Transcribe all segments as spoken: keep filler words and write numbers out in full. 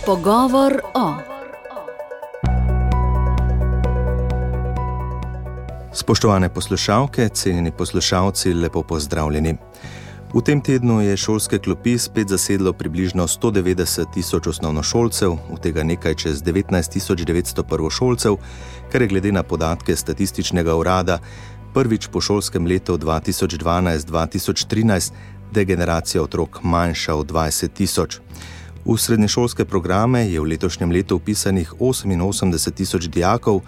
Pogovor o. Spoštovane poslušalke, cenjeni poslušalci, lepo pozdravljeni. V tem tednu je šolske klopi spet zasedlo približno sto devetdeset tisoč osnovnošolcev, od tega nekaj čez devetnajst tisoč devetsto prvošolcev, kar je glede na podatke statističnega urada prvič po šolskem letu dva tisoč dvanajst dva tisoč trinajst degeneracija otrok manjša od dvajset tisoč. V srednješolske programe je v letošnjem letu vpisanih oseminosemdeset tisoč dijakov,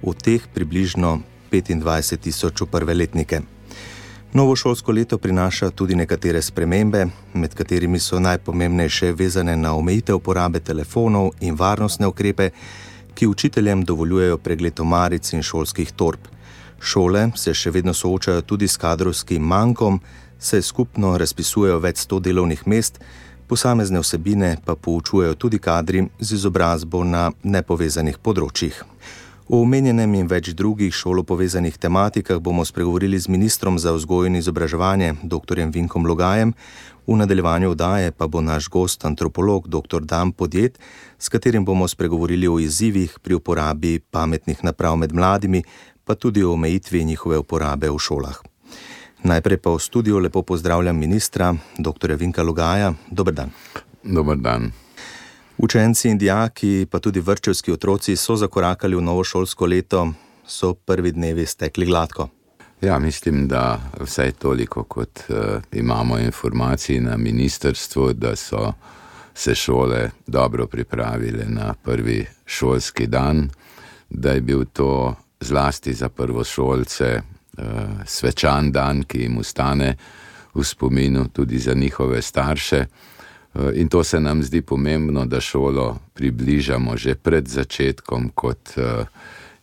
od teh približno petindvajset tisoč v prve letnike. Novo šolsko leto prinaša tudi nekatere spremembe, med katerimi so najpomembnejše vezane na omejitev porabe telefonov in varnostne ukrepe, ki učiteljem dovoljujejo pregled omaric in šolskih torb. Šole se še vedno soočajo tudi s kadrovskim mankom, saj skupno razpisujejo več sto delovnih mest, posamezne vsebine pa poučujejo tudi kadri z izobrazbo na nepovezanih področjih. O omenjenem in več drugih šolo povezanih tematikah bomo spregovorili z ministrom za vzgojo in izobraževanje, doktorjem Vinkom Logajem. V nadaljevanju oddaje pa bo naš gost antropolog doktor Dan Podjed, s katerim bomo spregovorili o izzivih pri uporabi pametnih naprav med mladimi, pa tudi o omejitvi njihove uporabe v šolah. Najprej pa v studiu lepo pozdravljam ministra, doktorja Vinka Logaja. Dober dan. Dober dan. Učenci in dijaki, pa tudi vrtčevski otroci so zakorakali v novo šolsko leto, so prvi dnevi stekli gladko. Ja, mislim, da vsaj toliko, kot uh, imamo informacij na ministrstvu, da so se šole dobro pripravile na prvi šolski dan, da je bil to zlasti za prvošolce uh, svečan dan, ki jim ostane v spominu, tudi za njihove starše. In to se nam zdi pomembno, da šolo približamo že pred začetkom kot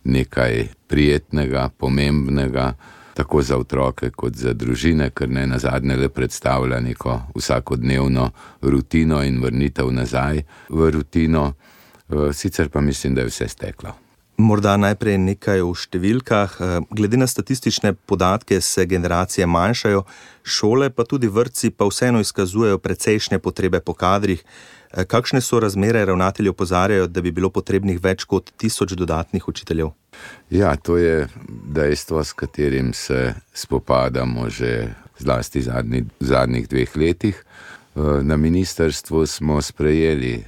nekaj prijetnega, pomembnega, tako za otroke kot za družine, ker ne nazadnje le predstavlja neko vsakodnevno rutino in vrnitev nazaj v rutino. Sicer pa mislim, da je vse steklo. Morda najprej nekaj o številkah. Glede na statistične podatke se generacije manjšajo, šole pa tudi vrtci pa vseeno izkazujejo precejšnje potrebe po kadrih. Kakšne so razmere? Ravnatelji opozarjajo, da bi bilo potrebnih več kot tisoč dodatnih učiteljev. Ja, to je dejstvo, s katerim se spopadamo že zlasti zadnji, zadnjih dveh letih. Na ministrstvu smo sprejeli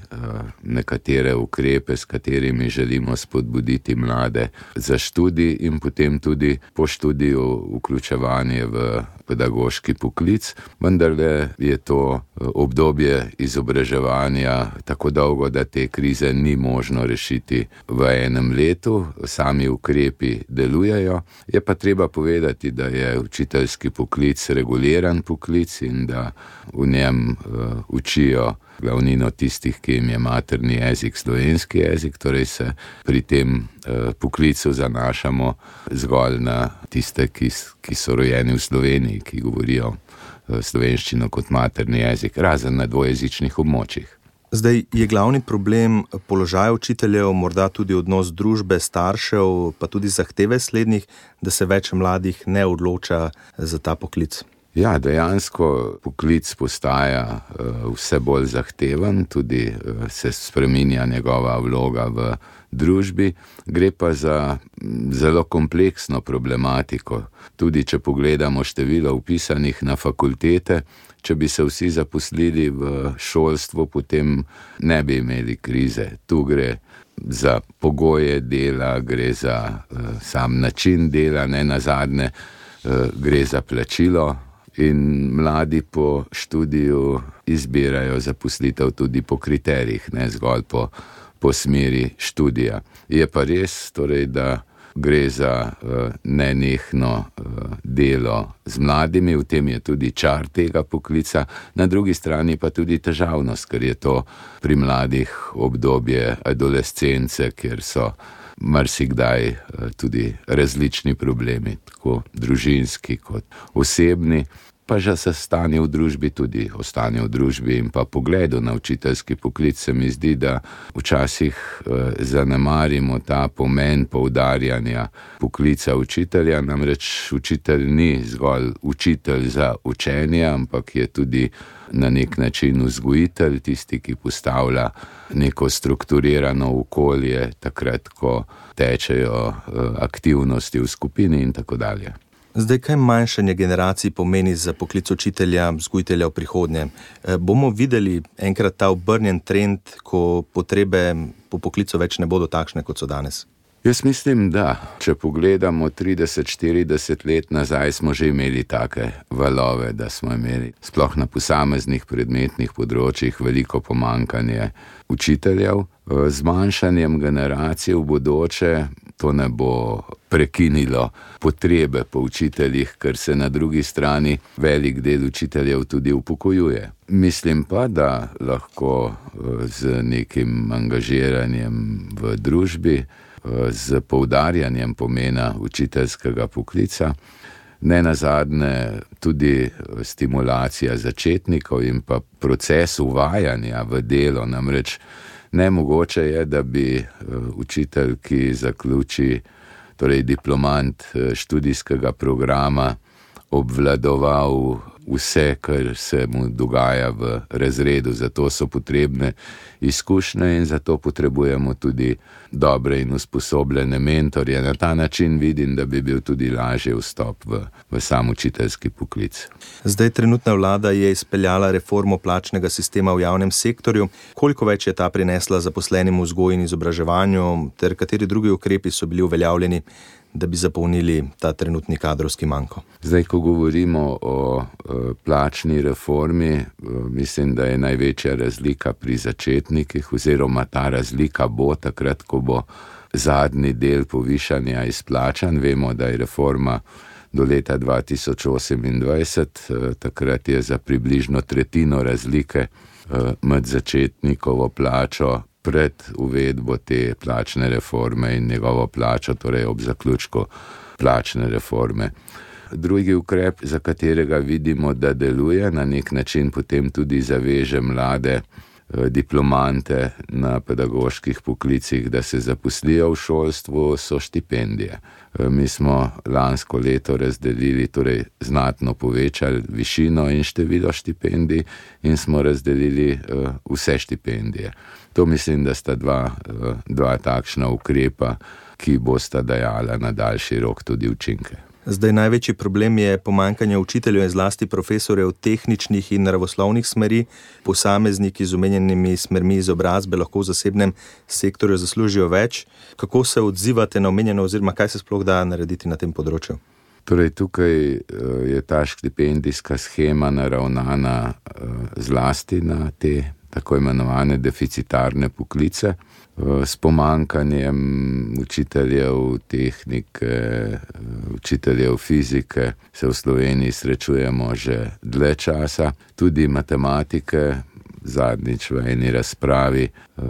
nekatere ukrepe, s katerimi želimo spodbuditi mlade za študij in potem tudi po študiju vključevanje v pedagoški poklic, vendar je to obdobje izobraževanja tako dolgo, da te krize ni možno rešiti v enem letu. Sami ukrepi delujejo. Je pa treba povedati, da je učiteljski poklic reguliran poklic in da v njem uh, učijo glavnino tistih, ki jim je materni jezik slovenski jezik, torej se pri tem uh, poklicu zanašamo zgolj na tiste, ki, ki so rojeni v Sloveniji, ki govorijo uh, slovenščino kot materni jezik, razen na dvojezičnih območjih. Zdaj je glavni problem položaj učiteljev, morda tudi odnos družbe, staršev, pa tudi zahteve slednjih, da se več mladih ne odloča za ta poklic. Ja, dejansko poklic postaja uh, vse bolj zahteven, tudi uh, se spreminja njegova vloga v družbi. Gre pa za zelo kompleksno problematiko. Tudi če pogledamo število vpisanih na fakultete, če bi se vsi zaposlili v šolstvu, potem ne bi imeli krize. Tu gre za pogoje dela, gre za uh, sam način dela, ne nazadnje uh, gre za plačilo. In mladi po študiju izbirajo zaposlitev tudi po kriterijih, ne zgolj po, po smeri študija. Je pa res, torej, da gre za uh, nenehno uh, delo z mladimi, v tem je tudi čar tega poklica, na drugi strani pa tudi težavnost, ker je to pri mladih obdobje adolescence, kjer so marsikdaj tudi različni problemi, tako družinski kot osebni. pa že se stanje v družbi tudi, o stanju v družbi in pa pogledu na učiteljski poklic se mi zdi, da včasih eh, zanemarimo ta pomen poudarjanja poklica učitelja, namreč učitelj ni zgolj učitelj za učenje, ampak je tudi na nek način vzgojitelj, tisti, ki postavlja neko strukturirano okolje, takrat, ko tečejo aktivnosti v skupini in tako dalje. Zdaj, kaj manjšanje generacij pomeni za poklic učitelja, vzgojitelja v prihodnje? Bomo videli enkrat ta obrnjen trend, ko potrebe po poklicu več ne bodo takšne, kot so danes? Jaz mislim, da če pogledamo trideset štirideset let nazaj, smo že imeli take valove, da smo imeli sploh na posameznih predmetnih področjih veliko pomanjkanje učiteljev. Z manjšanjem generacij v bodoče to ne bo prekinilo potrebe po učiteljih, ker se na drugi strani velik del učiteljev tudi upokojuje. Mislim pa, da lahko z nekim angažiranjem v družbi, z poudarjanjem pomena učiteljskega poklica, ne nazadnje tudi stimulacija začetnikov in pa proces uvajanja v delo. Namreč nemogoče je, da bi učitelj, ki zaključi, torej diplomant študijskega programa, obvladoval vse, kar se mu dogaja v razredu. Zato so potrebne izkušnje in zato potrebujemo tudi dobre in usposobljene mentorje. Na ta način vidim, da bi bil tudi lažje vstop v, v sam učiteljski poklic. Zdaj trenutna vlada je izpeljala reformo plačnega sistema v javnem sektorju. Koliko več je ta prinesla zaposlenim v vzgoji in izobraževanju, ter kateri drugi ukrepi so bili uveljavljeni, da bi zapolnili ta trenutni kadrovski manko? Zdaj, ko govorimo o plačni reformi, mislim, da je največja razlika pri začetnikih, oziroma ta razlika bo takrat, ko bo zadnji del povišanja izplačan. Vemo, da je reforma do leta dva tisoč osemindvajset, takrat je za približno tretjino razlike med začetnikovo plačo pred uvedbo te plačne reforme in njegovo plačo, torej ob zaključku plačne reforme. Drugi ukrep, za katerega vidimo, da deluje, na nek način potem tudi zaveže mlade diplomante na pedagoških poklicih, da se zaposlijo v šolstvu, so štipendije. Mi smo lansko leto razdelili, torej znatno povečali višino in število štipendij in smo razdelili vse štipendije. To mislim, da sta dva, dva takšna ukrepa, ki bosta dajala na daljši rok tudi učinke. Zdaj največji problem je pomanjkanje učiteljev in zlasti profesorjev tehničnih in naravoslovnih smeri. Posamezniki z omenjenimi smermi izobrazbe lahko v zasebnem sektorju zaslužijo več. Kako se odzivate na omenjeno oziroma kaj se sploh da narediti na tem področju? Torej, tukaj je ta štipendijska shema naravnana zlasti na te tako imenovane deficitarne poklice. S pomanjkanjem učiteljev tehnike, učiteljev fizike se v Sloveniji srečujemo že dlje časa, tudi matematike. Zadnjič v eni razpravi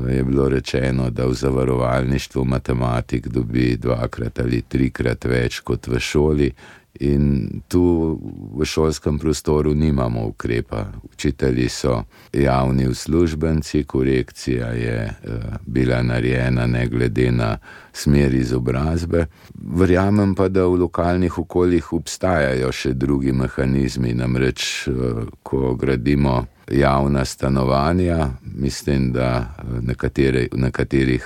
je bilo rečeno, da v zavarovalništvu matematik dobi dvakrat ali trikrat več kot v šoli. In tu v šolskem prostoru nimamo ukrepa. Učitelji so javni uslužbenci, korekcija je bila narejena ne glede na smer izobrazbe. Verjamem pa, da v lokalnih okoljih obstajajo še drugi mehanizmi, namreč ko gradimo javna stanovanja, mislim, da nekatere, v nekaterih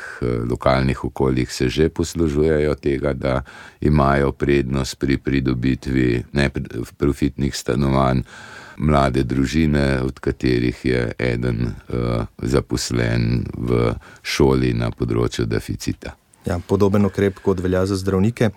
lokalnih okoljih se že poslužujejo tega, da imajo prednost pri pridobitvi neprofitnih stanovanj mlade družine, od katerih je eden uh, zaposlen v šoli na področju deficita. Ja, podoben ukrep kot velja za zdravnike.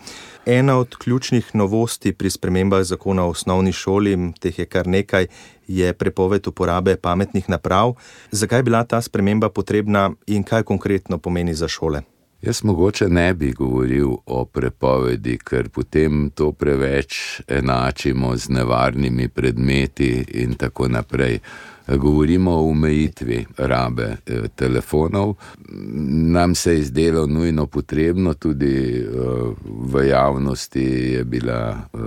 Ena od ključnih novosti pri spremembah zakona o osnovni šoli, teh je kar nekaj, je prepoved uporabe pametnih naprav. Zakaj je bila ta sprememba potrebna in kaj konkretno pomeni za šole? Jaz mogoče ne bi govoril o prepovedi, ker potem to preveč enačimo z nevarnimi predmeti in tako naprej. Govorimo o omejitvi rabe eh, telefonov. Nam se je zdelo nujno potrebno, tudi eh, v javnosti je bila eh,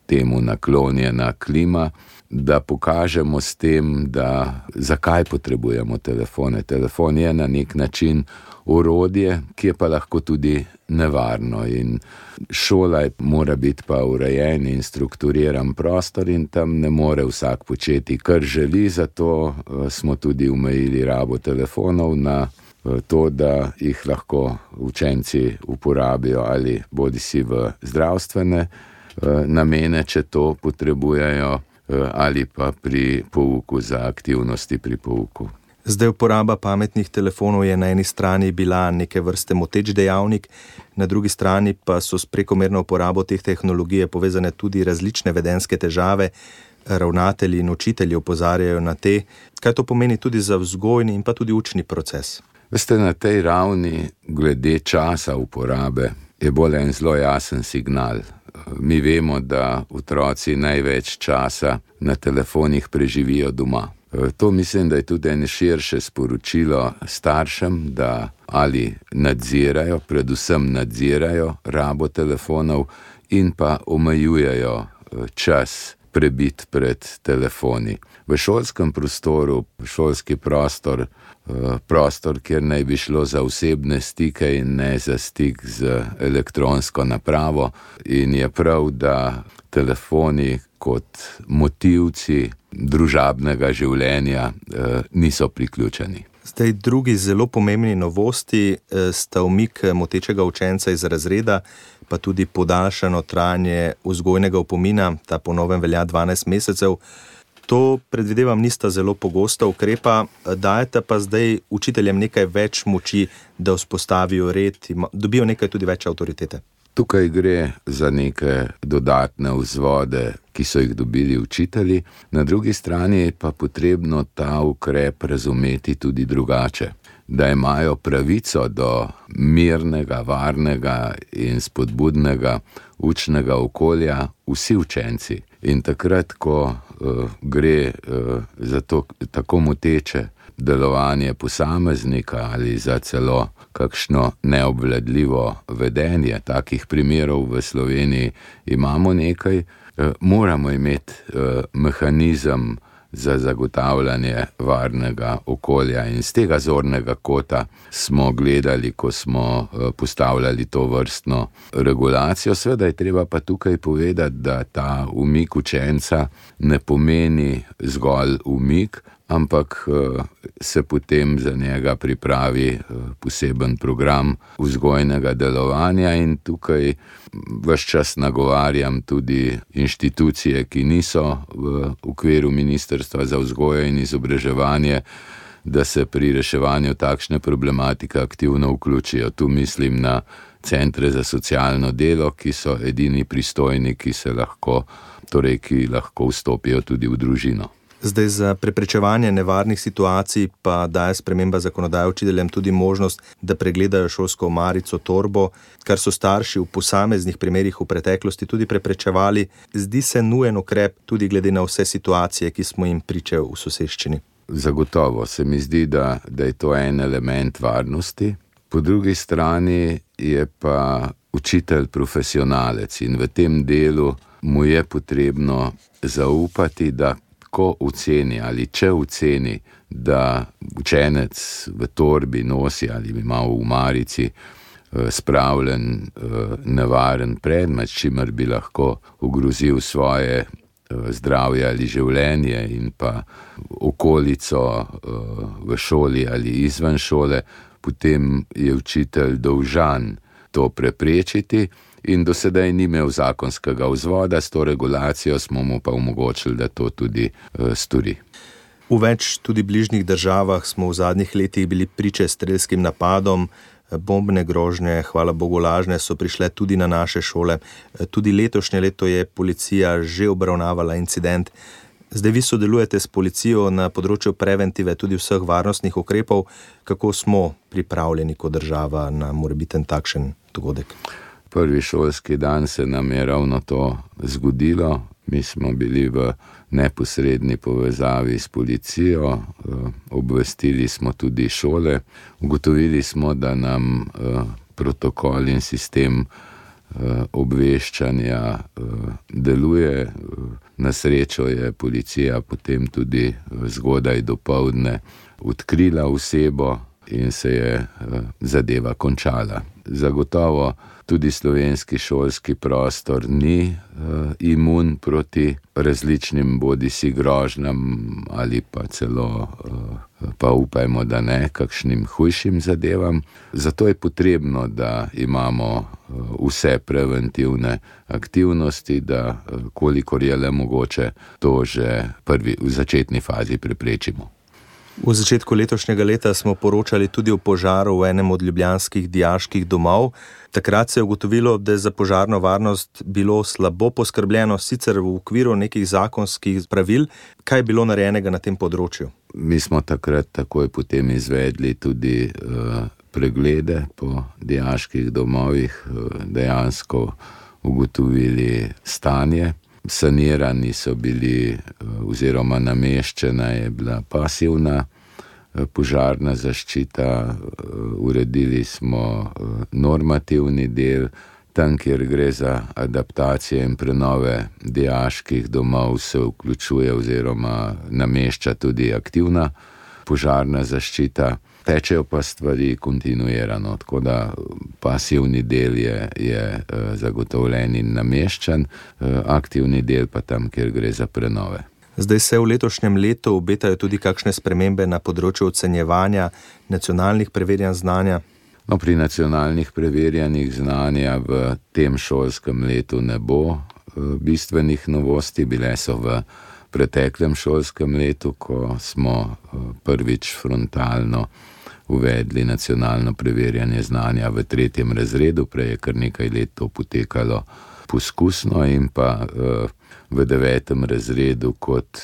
temu naklonjena klima, da pokažemo s tem, da zakaj potrebujemo telefone. Telefon je na nek način orodje, ki je pa lahko tudi nevarno, in šola mora biti pa urejen in strukturiran prostor in tam ne more vsak početi, kar želi, zato smo tudi omejili rabo telefonov na to, da jih lahko učenci uporabijo ali bodisi v zdravstvene namene, če to potrebujejo, ali pa pri pouku za aktivnosti pri pouku. Zdaj uporaba pametnih telefonov je na eni strani bila neke vrste moteč dejavnik, na drugi strani pa so s prekomerno uporabo teh tehnologij povezane tudi različne vedenjske težave. Ravnatelji in učitelji opozarjajo na te. Kaj to pomeni tudi za vzgojni in pa tudi učni proces? Veste, na tej ravni glede časa uporabe je bolj en zelo jasen signal. Mi vemo, da otroci največ časa na telefonih preživijo doma. To mislim, da je tudi eno širše sporočilo staršem, da ali nadzirajo, predvsem nadzirajo rabo telefonov in pa omejujejo čas prebit pred telefoni. V šolskem prostoru, šolski prostor, prostor, kjer naj bi šlo za osebne stike in ne za stik z elektronsko napravo, in je prav, da telefoni kot motivci družabnega življenja niso priključeni. Zdaj, drugi zelo pomembni novosti sta umik motečega učenca iz razreda, pa tudi podaljšano trajanje vzgojnega opomina, ta po novem velja dvanajst mesecev. To, predvidevam, nista zelo pogosta ukrepa, dajete pa zdaj učiteljem nekaj več moči, da vzpostavijo red, dobijo nekaj tudi več avtoritete. Tukaj gre za neke dodatne vzvode, ki so jih dobili učitelji, na drugi strani je pa potrebno ta ukrep razumeti tudi drugače, da imajo pravico do mirnega, varnega in spodbudnega učnega okolja vsi učenci. In takrat, ko uh, gre uh, za to tako moteče delovanje posameznika ali za celo kakšno neobvladljivo vedenje, takih primerov v Sloveniji imamo nekaj, uh, moramo imeti uh, mehanizem za zagotavljanje varnega okolja. In z tega zornega kota smo gledali, ko smo postavljali to vrstno regulacijo. Seveda je treba pa tukaj povedati, da ta umik učenca ne pomeni zgolj umik, ampak se potem za njega pripravi poseben program vzgojnega delovanja, in tukaj ves čas nagovarjam tudi inštitucije, ki niso v okviru Ministrstva za vzgojo in izobraževanje, da se pri reševanju takšne problematike aktivno vključijo. Tu mislim na centre za socialno delo, ki so edini pristojni, ki se lahko, torej ki lahko vstopijo tudi v družino. Zdaj, za preprečevanje nevarnih situacij pa daje sprememba zakonodaje učiteljem tudi možnost, da pregledajo šolsko omarico, torbo, kar so starši v posameznih primerih v preteklosti tudi preprečevali. Zdi se nujen ukrep tudi glede na vse situacije, ki smo jim pričali v soseščini. Zagotovo se mi zdi, da, da je to en element varnosti. Po drugi strani je pa učitelj profesionalec in v tem delu mu je potrebno zaupati, da ko oceni ali če oceni, da učenec v torbi nosi ali ima v omarici spravljen nevaren predmet, s čimer bi lahko ogrozil svoje zdravje ali življenje in pa okolico v šoli ali izven šole, potem je učitelj dolžan to preprečiti. In do sedaj ni imel zakonskega vzvoda, s to regulacijo smo mu pa omogočili, da to tudi uh, stori. V več tudi bližnjih državah smo v zadnjih letih bili priče strelskim napadom, bombne grožnje, hvala Bogu lažne, so prišle tudi na naše šole. Tudi letošnje leto je policija že obravnavala incident. Zdaj vi sodelujete s policijo na področju preventive tudi vseh varnostnih ukrepov. Kako smo pripravljeni kot država na morebiten takšen dogodek? Prvi šolski dan se nam je ravno to zgodilo. Mi smo bili v neposredni povezavi s policijo, obvestili smo tudi šole. Ugotovili smo, da nam protokol in sistem obveščanja deluje. Na srečo je policija potem tudi zgodaj dopoldne odkrila osebo in se je zadeva končala. Zagotovo tudi slovenski šolski prostor ni imun proti različnim bodisi grožnjam ali pa celo, pa upajmo, da ne, kakšnim hujšim zadevam. Zato je potrebno, da imamo vse preventivne aktivnosti, da kolikor je le mogoče to že prvi, v začetni fazi preprečimo. V začetku letošnjega leta smo poročali tudi o požaru v enem od ljubljanskih dijaških domov. Takrat se je ugotovilo, da je za požarno varnost bilo slabo poskrbljeno, sicer v okviru nekih zakonskih pravil. Kaj je bilo narejenega na tem področju? Mi smo takrat takoj potem izvedli tudi uh, preglede po dijaških domovih, uh, dejansko ugotovili stanje. Sanirani so bili oziroma nameščena je bila pasivna požarna zaščita, uredili smo normativni del, tam, kjer gre za adaptacije in prenove dijaških domov, se vključuje oziroma namešča tudi aktivna požarna zaščita. Tečejo pa stvari kontinuirano, tako da pasivni del je, je zagotovljen in nameščen, aktivni del pa tam, kjer gre za prenove. Zdaj se v letošnjem letu obetajo tudi kakšne spremembe na področju ocenjevanja nacionalnih preverjanj znanja? No, pri nacionalnih preverjanjih znanja v tem šolskem letu ne bo bistvenih novosti, bile so v preteklem šolskem letu, ko smo prvič frontalno uvedli nacionalno preverjanje znanja v tretjem razredu, prej je kar nekaj let to potekalo poskusno in pa v devetem razredu kot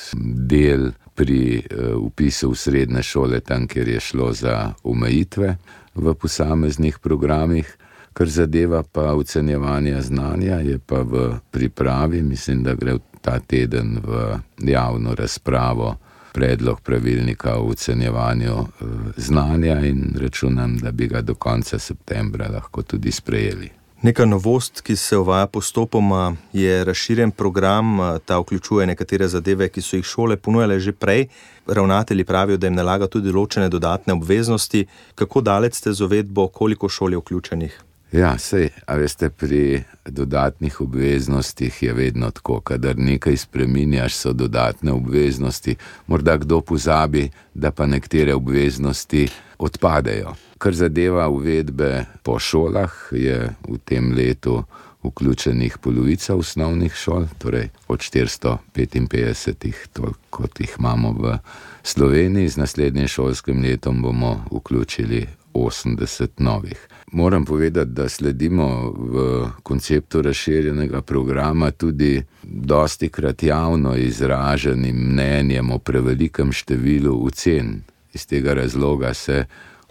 del pri vpisu v srednje šole, tam, kjer je šlo za omejitve v posameznih programih. Kar zadeva pa ocenjevanje znanja, je pa v pripravi, mislim, da gre ta teden v javno razpravo predlog pravilnika o ocenjevanju znanja in računam, da bi ga do konca septembra lahko tudi sprejeli. Neka novost, ki se uvaja postopoma, je razširjen program, ta vključuje nekatere zadeve, ki so jih šole ponujale že prej. Ravnatelji pravijo, da jim nalaga tudi določene dodatne obveznosti. Kako daleč ste z uvedbo, koliko šol je vključenih? Ja, sej, a veste, pri dodatnih obveznostih je vedno tako, kadar nekaj spreminjaš, so dodatne obveznosti, morda kdo pozabi, da pa nekatere obveznosti odpadejo. Kar zadeva uvedbe po šolah, je v tem letu vključenih polovica osnovnih šol, torej od štiristo petinpetdeset, toliko kot jih imamo v Sloveniji. Z naslednjim šolskim letom bomo vključili osemdeset novih. Moram povedati, da sledimo v konceptu razširjenega programa tudi dostikrat javno izraženim mnenjem o prevelikem številu ocen. Iz tega razloga se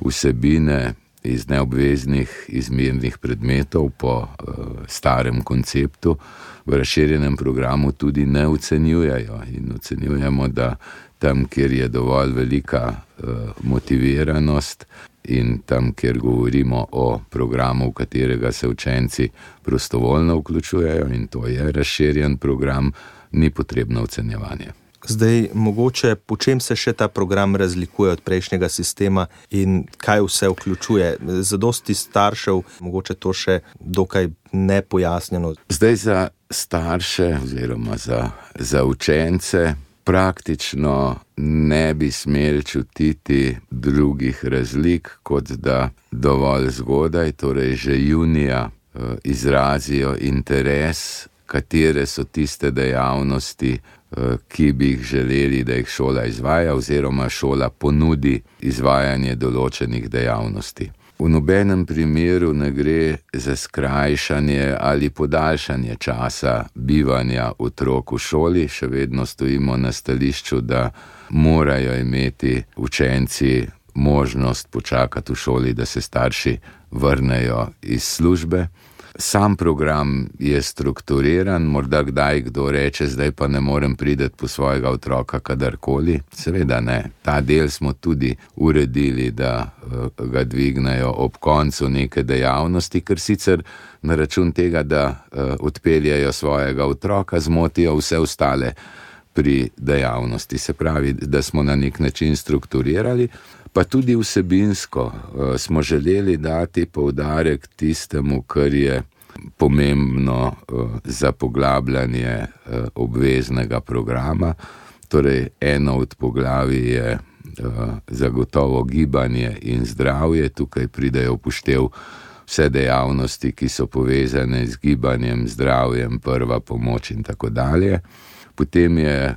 vsebine iz neobveznih izmernih predmetov po uh, starem konceptu v razširjenem programu tudi ne ocenjujejo. In ocenjujemo, da tam, kjer je dovolj velika uh, motiviranost in tam, kjer govorimo o programu, v katerega se učenci prostovoljno vključujejo, in to je razširjen program, ni potrebno ocenjevanje. Zdaj, mogoče, po čem se še ta program razlikuje od prejšnjega sistema in kaj vse vključuje? Za dosti staršev, mogoče to še dokaj nepojasnjeno. Zdaj za starše oziroma za, za učence praktično ne bi smeli čutiti drugih razlik, kot da dovolj zgodaj, torej že junija, izrazijo interes, katere so tiste dejavnosti, ki bi jih želeli, da jih šola izvaja oziroma šola ponudi izvajanje določenih dejavnosti. V nobenem primeru ne gre za skrajšanje ali podaljšanje časa bivanja otrok v šoli, še vedno stojimo na stališču, da morajo imeti učenci možnost počakati v šoli, da se starši vrnejo iz službe. Sam program je strukturiran, morda kdaj kdo reče, zdaj pa ne morem priti po svojega otroka kadarkoli. Seveda ne, ta del smo tudi uredili, da ga dvignejo ob koncu neke dejavnosti, ker sicer na račun tega, da odpeljajo svojega otroka, zmotijo vse ostale pri dejavnosti. Se pravi, da smo na nek način strukturirali, pa tudi vsebinsko smo želeli dati poudarek tistemu, kar je pomembno za poglabljanje obveznega programa. Torej, eno od poglavij je zagotovo gibanje in zdravje. Tukaj pridejo upoštev vse dejavnosti, ki so povezane z gibanjem, zdravjem, prva pomoč in tako dalje. Potem je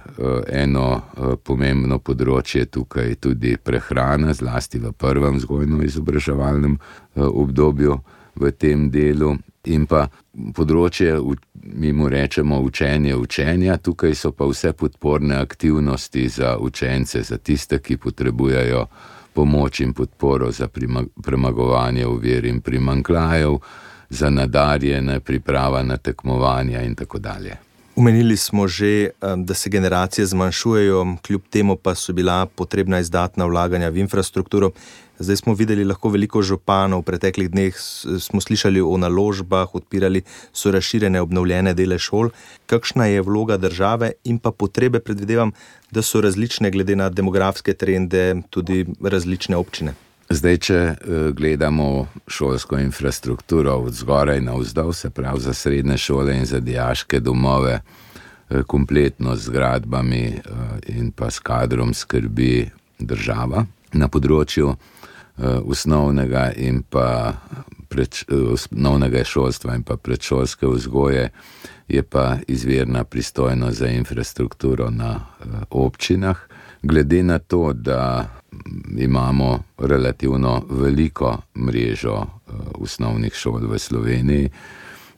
eno pomembno področje tukaj tudi prehrana, zlasti v prvem vzgojno-izobraževalnem obdobju v tem delu. In pa področje, mi mu rečemo učenje učenja, tukaj so pa vse podporne aktivnosti za učence, za tiste, ki potrebujejo pomoč in podporo za premagovanje ovir in primanjkljajev, za nadarjene, priprava na tekmovanja in tako dalje. Omenili smo že, da se generacije zmanjšujejo, kljub temu pa so bila potrebna izdatna vlaganja v infrastrukturo. Zdaj smo videli lahko veliko županov, v preteklih dneh smo slišali o naložbah, odpirali so razširjene obnovljene dele šol. Kakšna je vloga države in pa potrebe, predvidevam, da so različne glede na demografske trende, tudi različne občine? Zdaj, če gledamo šolsko infrastrukturo od zgoraj navzdol, se pravi za srednje šole in za dijaške domove, kompletno z zgradbami in pa s kadrom skrbi država. Na področju osnovnega in pa pred, osnovnega šolstva in pa predšolske vzgoje je pa izvirna pristojnost za infrastrukturo na občinah. Glede na to, da imamo relativno veliko mrežo osnovnih šol v Sloveniji,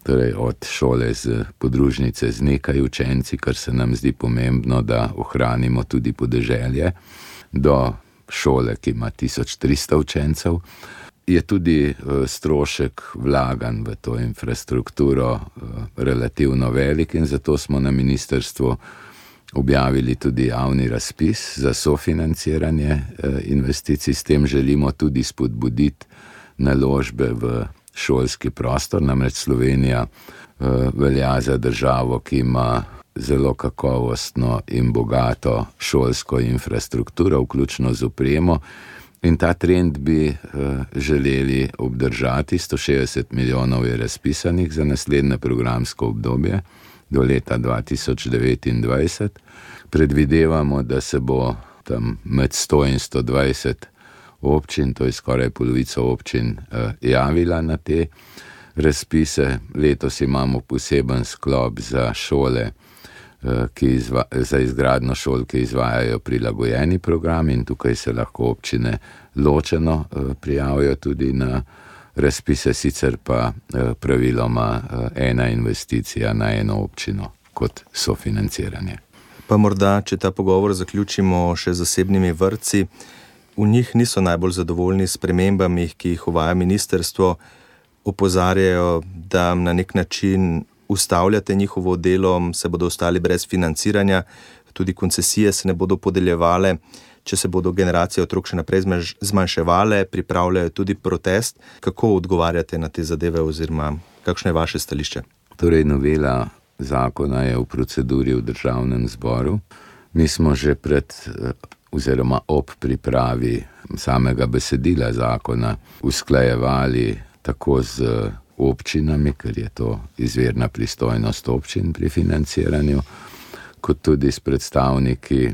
torej od šole z podružnice z nekaj učenci, kar se nam zdi pomembno, da ohranimo tudi podeželje, do šole, ki ima tisoč tristo učencev, je tudi strošek vlaganj v to infrastrukturo relativno velik in zato smo na ministrstvu objavili tudi javni razpis za sofinanciranje investicij. S tem želimo tudi spodbuditi naložbe v šolski prostor. Namreč Slovenija velja za državo, ki ima zelo kakovostno in bogato šolsko infrastrukturo, vključno z opremo. In ta trend bi želeli obdržati. sto šestdeset milijonov je razpisanih za naslednje programsko obdobje do leta dva tisoč devetindvajset. Predvidevamo, da se bo tam med sto in sto dvajset občin, to je skoraj polovico občin, javila na te razpise. Letos imamo poseben sklop za šole, ki izva, za izgradnjo šol, ki izvajajo prilagojeni program in tukaj se lahko občine ločeno prijavijo tudi na razpise, sicer pa praviloma ena investicija na eno občino kot sofinanciranje. Pa morda, če ta pogovor zaključimo še z zasebnimi vrtci, v njih niso najbolj zadovoljni s spremembami, ki jih uvaja ministrstvo, opozarjajo, da na nek način ustavljate njihovo delo, se bodo ostali brez financiranja, tudi koncesije se ne bodo podeljevale, če se bodo generacije otrok še naprej zmanjševale, pripravljajo tudi protest. Kako odgovarjate na te zadeve oziroma kakšno je vaše stališče? Torej, novela zakona je v proceduri v Državnem zboru. Mi smo že pred oziroma ob pripravi samega besedila zakona usklajevali tako z občinami, ker je to izvirna pristojnost občin pri financiranju, kot tudi s predstavniki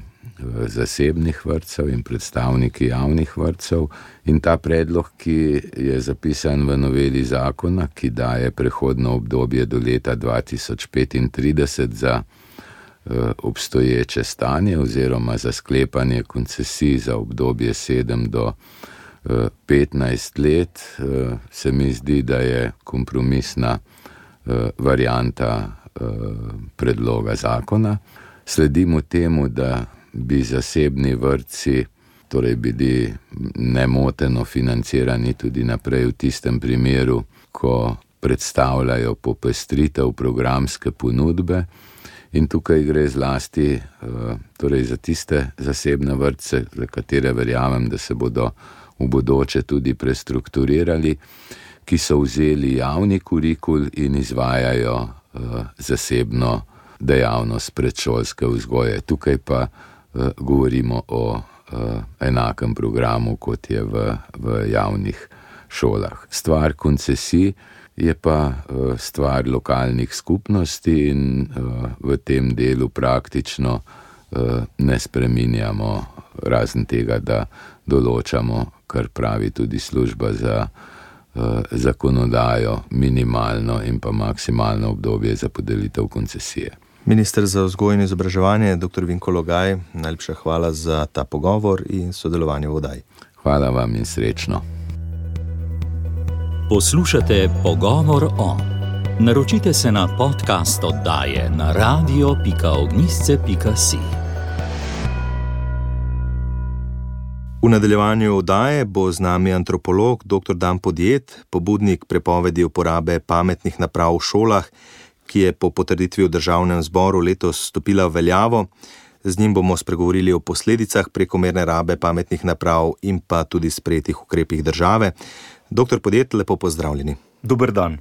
zasebnih vrtcev in predstavniki javnih vrtcev. In ta predlog, ki je zapisan v noveli zakona, ki daje prehodno obdobje do leta dva tisoč petintrideset za obstoječe stanje oziroma za sklepanje koncesij za obdobje sedem do petnajst let, se mi zdi, da je kompromisna varianta predloga zakona. Sledimo temu, da bi zasebni vrtci torej bili nemoteno financirani tudi naprej v tistem primeru, ko predstavljajo popestritev programske ponudbe. In tukaj gre zlasti torej za tiste zasebne vrtce, za katere verjamem, da se bodo v bodoče tudi prestrukturirali, ki so vzeli javni kurikul in izvajajo zasebno dejavnost predšolske vzgoje. Tukaj pa govorimo o enakem programu, kot je v, v javnih šolah. Stvar koncesij je pa stvar lokalnih skupnosti in v tem delu praktično ne spreminjamo, razen tega, da določamo, kar pravi tudi služba za zakonodajo, minimalno in pa maksimalno obdobje za podelitev koncesije. Minister za vzgojo in izobraževanje, doktor Vinko Logaj, najlepša hvala za ta pogovor in sodelovanje v oddaji. Hvala vam in srečno. Poslušate Pogovor o. Naročite se na podcast oddaje na radio pika ognjišče pika si. V nadaljevanju oddaje bo z nami antropolog doktor Dan Podjed, pobudnik prepovedi uporabe pametnih naprav v šolah, ki je po potrditvi v Državnem zboru letos stopila v veljavo. Z njim bomo spregovorili o posledicah prekomerne rabe pametnih naprav in pa tudi sprejetih ukrepih države. Doktor Podjed, lepo pozdravljeni. Dober dan.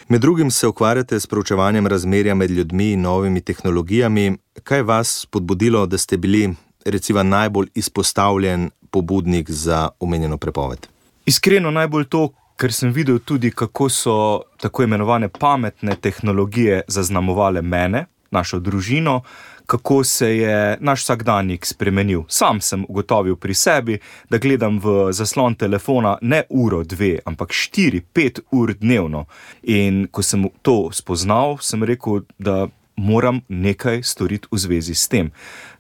Med drugim se ukvarjate s proučevanjem razmerja med ljudmi in novimi tehnologijami. Kaj vas spodbudilo, da ste bili recimo najbolj izpostavljen pobudnik za omenjeno prepoved? Iskreno najbolj to, ker sem videl tudi, kako so tako imenovane pametne tehnologije zaznamovale mene, našo družino, kako se je naš vsakdanjik spremenil. Sam sem ugotovil pri sebi, da gledam v zaslon telefona ne uro, dve, ampak štiri, pet ur dnevno. In ko sem to spoznal, sem rekel, da moram nekaj storiti v zvezi s tem.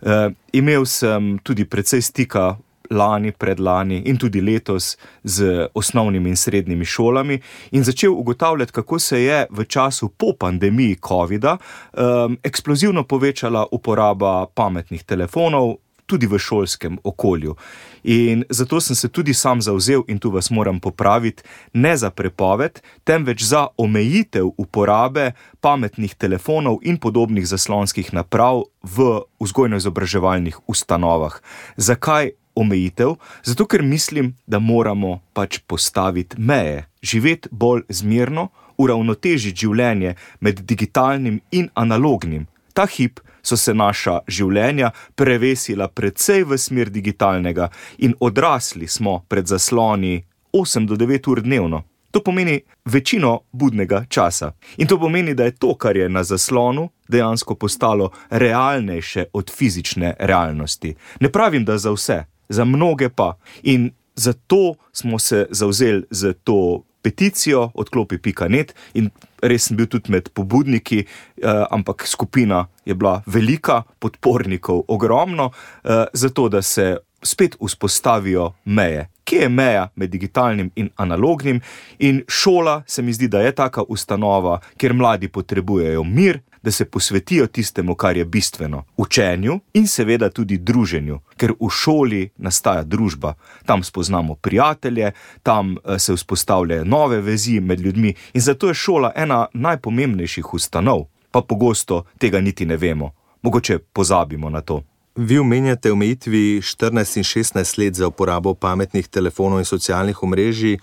E, imel sem tudi precej stika lani, predlani in tudi letos z osnovnimi in srednjimi šolami in začel ugotavljati, kako se je v času po pandemiji covida um, eksplozivno povečala uporaba pametnih telefonov tudi v šolskem okolju. In zato sem se tudi sam zavzel, in tu vas moram popraviti, ne za prepoved, temveč za omejitev uporabe pametnih telefonov in podobnih zaslonskih naprav v vzgojno-izobraževalnih ustanovah. Zakaj omejitev? Zato, ker mislim, da moramo pač postaviti meje, živeti bolj zmerno, uravnotežiti življenje med digitalnim in analognim. Ta hip so se naša življenja prevesila precej v smer digitalnega in odrasli smo pred zasloni osem do devet ur dnevno. To pomeni večino budnega časa. In to pomeni, da je to, kar je na zaslonu, dejansko postalo realnejše od fizične realnosti. Ne pravim, da za vse, za mnoge pa. In zato smo se zavzeli za to peticijo odklopi pika net in res sem bil tudi med pobudniki, eh, ampak skupina je bila velika, podpornikov ogromno, eh, zato da se spet vzpostavijo meje. Kje je meja med digitalnim in analognim? In šola se mi zdi, da je taka ustanova, kjer mladi potrebujejo mir, da se posvetijo tistemu, kar je bistveno, učenju in seveda tudi druženju, ker v šoli nastaja družba. Tam spoznamo prijatelje, tam se vzpostavljajo nove vezi med ljudmi in zato je šola ena najpomembnejših ustanov, pa pogosto tega niti ne vemo. Mogoče pozabimo na to. Vi omenjate omejitvi štirinajst in šestnajst let za uporabo pametnih telefonov in socialnih omrežij. E,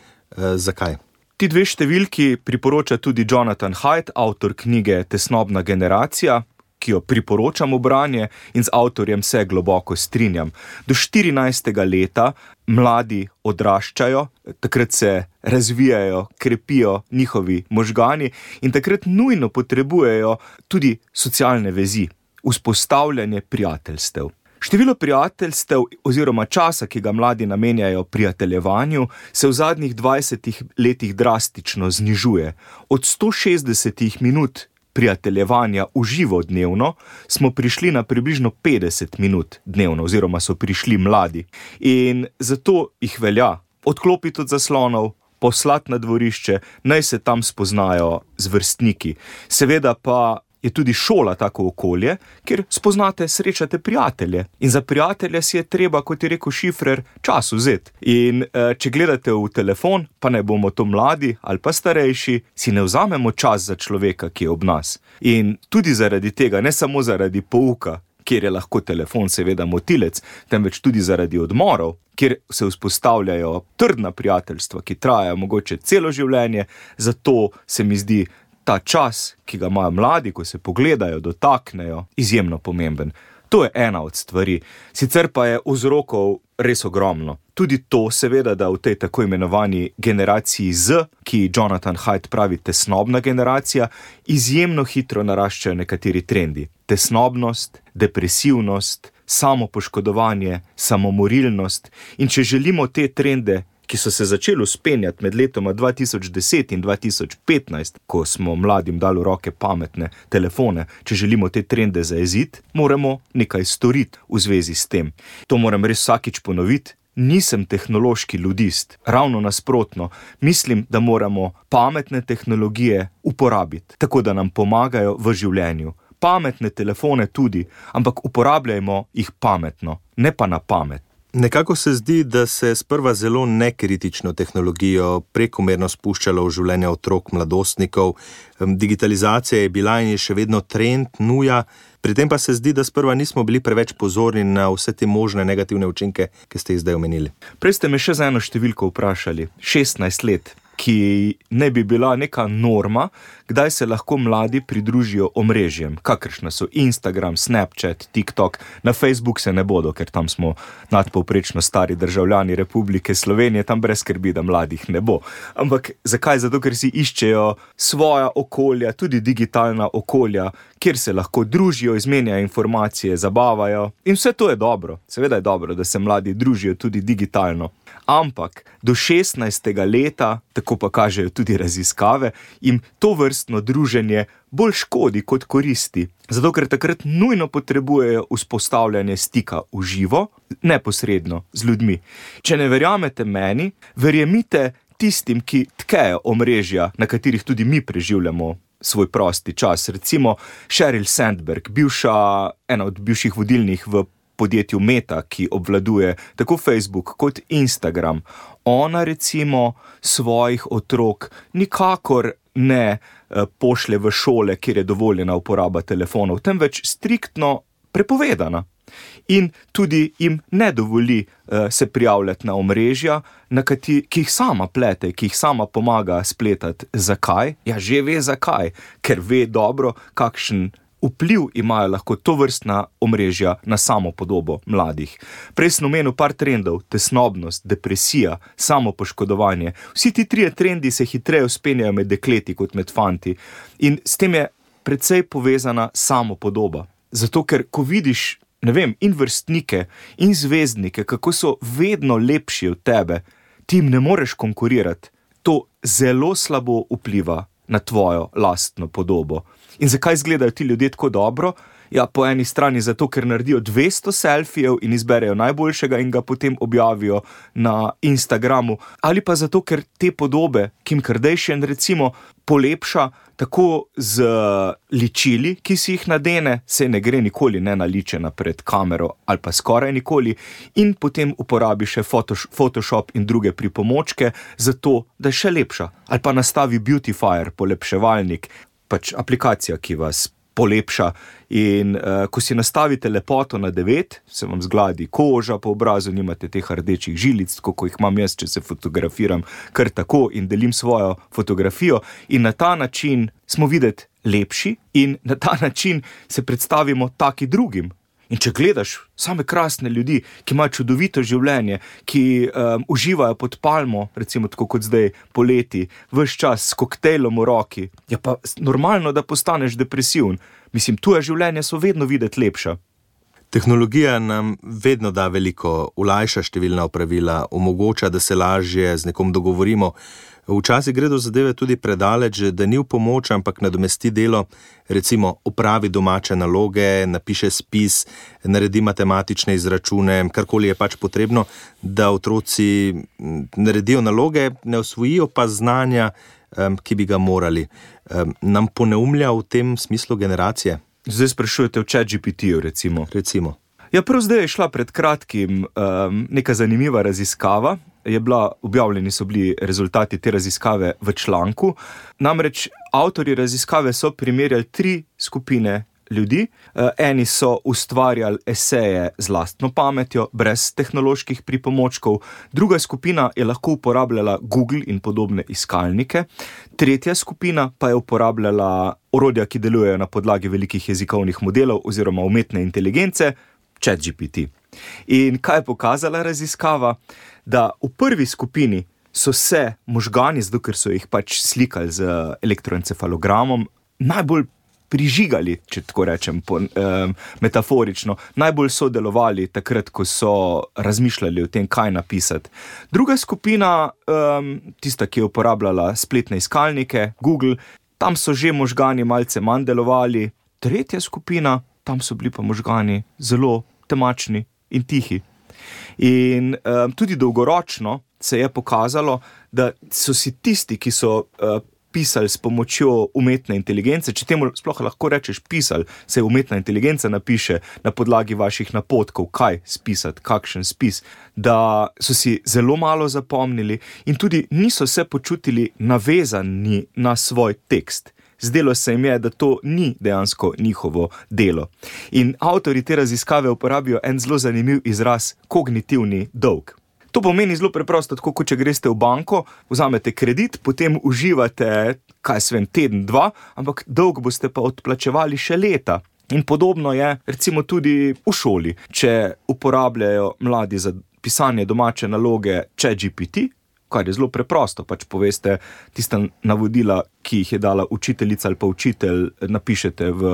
zakaj? Ti dve številki priporoča tudi Jonathan Haidt, avtor knjige Tesnobna generacija, ki jo priporočam v branje in z avtorjem se globoko strinjam. Do štirinajstega leta mladi odraščajo, takrat se razvijajo, krepijo njihovi možgani in takrat nujno potrebujejo tudi socialne vezi, vzpostavljanje prijateljstev. Število prijateljstev oziroma časa, ki ga mladi namenjajo prijateljevanju, se v zadnjih dvajsetih letih drastično znižuje. Od sto šestdeset minut prijateljevanja v živo dnevno smo prišli na približno petdeset minut dnevno oziroma so prišli mladi. In zato jih velja odklopiti od zaslonov, poslati na dvorišče, naj se tam spoznajo z vrstniki. Seveda pa je tudi šola tako okolje, kjer spoznate, srečate prijatelje. In za prijatelje si je treba, kot je rekel Šifrer, čas vzeti. In e, če gledate v telefon, pa ne bomo to mladi ali pa starejši, si ne vzamemo čas za človeka, ki je ob nas. In tudi zaradi tega, ne samo zaradi pouka, kjer je lahko telefon seveda motilec, temveč tudi zaradi odmorov, kjer se vzpostavljajo trdna prijateljstva, ki trajajo mogoče celo življenje, zato se mi zdi ta čas, ki ga imajo mladi, ko se pogledajo, dotaknejo, izjemno pomemben. To je ena od stvari. Sicer pa je vzrokov res ogromno. Tudi to seveda, da v tej tako imenovani generaciji Z, ki Jonathan Haidt pravi tesnobna generacija, izjemno hitro naraščajo nekateri trendi. Tesnobnost, depresivnost, samopoškodovanje, samomorilnost. In če želimo te trende, ki so se začeli vzpenjati med letoma dva tisoč deset in dva tisoč petnajst, ko smo mladim dali v roke pametne telefone, če želimo te trende zajeziti, moramo nekaj storiti v zvezi s tem. To moram res vsakič ponoviti. Nisem tehnološki ludist, ravno nasprotno. Mislim, da moramo pametne tehnologije uporabiti, tako da nam pomagajo v življenju. Pametne telefone tudi, ampak uporabljajmo jih pametno, ne pa na pamet. Nekako se zdi, da se sprva zelo nekritično tehnologijo prekomerno spuščalo v življenje otrok, mladostnikov. Digitalizacija je bila in je še vedno trend, nuja. Pri tem pa se zdi, da sprva nismo bili preveč pozorni na vse te možne negativne učinke, ki ste jih zdaj omenili. Prej ste me še za eno številko vprašali. šestnajst let, ki ne bi bila neka norma, kdaj se lahko mladi pridružijo omrežjem, kakršna so Instagram, Snapchat, TikTok. Na Facebook se ne bodo, ker tam smo nadpovprečno stari državljani Republike Slovenije, tam brez skrbi, da mladih ne bo. Ampak zakaj? Zato, ker si iščejo svoja okolja, tudi digitalna okolja, kjer se lahko družijo, izmenjajo informacije, zabavajo. In vse to je dobro. Seveda je dobro, da se mladi družijo tudi digitalno. Ampak do šestnajstega leta, tako pa kažejo tudi raziskave, jim to vrstno druženje bolj škodi kot koristi. Zato, ker takrat nujno potrebujejo vzpostavljanje stika v živo, neposredno z ljudmi. Če ne verjamete meni, verjemite tistim, ki tkejo omrežja, na katerih tudi mi preživljamo svoj prosti čas. Recimo Sheryl Sandberg, bivša, ena od bivših vodilnih v podjetju Meta, ki obvladuje tako Facebook kot Instagram. Ona recimo svojih otrok nikakor ne pošlje v šole, kjer je dovoljena uporaba telefonov, temveč striktno prepovedana. In tudi jim ne dovoli uh, se prijavljati na omrežja, na kati, ki jih sama plete, ki jih sama pomaga spletati. Zakaj? Ja, že ve zakaj, ker ve dobro, kakšen vpliv imajo lahko tovrstna omrežja na samo podobo mladih. Prej sem omenil par trendov, tesnobnost, depresija, samopoškodovanje. Vsi ti trije trendi se hitreje vzpenjajo med dekleti kot med fanti. In s tem je precej povezana samopodoba. Zato, ker ko vidiš, ne vem, in vrstnike, in zvezdnike, kako so vedno lepši od tebe, ti jim ne moreš konkurirati. To zelo slabo vpliva na tvojo lastno podobo. In zakaj izgledajo ti ljudje tako dobro? Ja, po eni strani zato, ker naredijo dvesto selfijev in izberejo najboljšega in ga potem objavijo na Instagramu. Ali pa zato, ker te podobe Kim Kardashian recimo polepša tako z ličili, ki si jih nadene, se ne gre nikoli ne naličena pred kamero ali pa skoraj nikoli, in potem uporabi še Photoshop in druge pripomočke zato, da je še lepša. Ali pa nastavi beautifier, polepševalnik, pač aplikacija, ki vas polepša. In uh, ko si nastavite lepoto na devet, se vam zgladi koža po obrazu, nimate teh rdečih žilic, tako ko jih imam jaz, če se fotografiram kar tako in delim svojo fotografijo. In na ta način smo videti lepši in na ta način se predstavimo taki drugim. In če gledaš same krasne ljudi, ki imajo čudovito življenje, ki um, uživajo pod palmo, recimo tako kot zdaj poleti, ves čas s koktejlom v roki, je pa normalno, da postaneš depresiven. Mislim, tuje življenje so vedno videti lepša. Tehnologija nam vedno da veliko, olajša številna opravila, omogoča, da se lažje z nekom dogovorimo. Včasih gre do zadeve tudi predaleč, da ni v pomoč, ampak nadomesti delo, recimo opravi domače naloge, napiše spis, naredi matematične izračune, karkoli je pač potrebno, da otroci naredijo naloge, ne osvojijo pa znanja, ki bi ga morali. Nam poneumlja v tem smislu generacije? Zdaj sprašujete o ChatGPT-ju, recimo. Recimo. Ja, prav zdaj je šla pred kratkim um, neka zanimiva raziskava. Je bila, objavljeni so bili rezultati te raziskave v članku. Namreč avtorji raziskave so primerjali tri skupine ljudi. Uh, eni so ustvarjali eseje z lastno pametjo, brez tehnoloških pripomočkov. Druga skupina je lahko uporabljala Google in podobne iskalnike. Tretja skupina pa je uporabljala orodja, ki delujejo na podlagi velikih jezikovnih modelov oziroma umetne inteligence, ChatGPT. In kaj je pokazala raziskava? Da v prvi skupini so se možgani, zato ker so jih pač slikali z elektroencefalogramom, najbolj prižigali, če tako rečem po, um, metaforično, najbolj so delovali takrat, ko so razmišljali o tem, kaj napisati. Druga skupina, um, tista, ki je uporabljala spletne iskalnike, Google, tam so že možgani malce manj delovali. Tretja skupina, tam so bili pa možgani zelo temačni in tihi. In um, tudi dolgoročno se je pokazalo, da so si tisti, ki so uh, pisali s pomočjo umetne inteligence, če temu sploh lahko rečeš pisali, se umetna inteligenca napiše na podlagi vaših napotkov, kaj spisati, kakšen spis, da so si zelo malo zapomnili in tudi niso se počutili navezani na svoj tekst. Zdelo se jim je, da to ni dejansko njihovo delo. In avtorji te raziskave uporabijo en zelo zanimiv izraz, kognitivni dolg. To pomeni zelo preprosto, tako kot če greste v banko, vzamete kredit, potem uživate, kaj svem, teden, dva, ampak dolg boste pa odplačevali še leta. In podobno je recimo tudi v šoli. Če uporabljajo mladi za pisanje domače naloge ChatGPT, kar je zelo preprosto, pač poveste tista navodila, ki jih je dala učiteljica ali pa učitelj, napišete v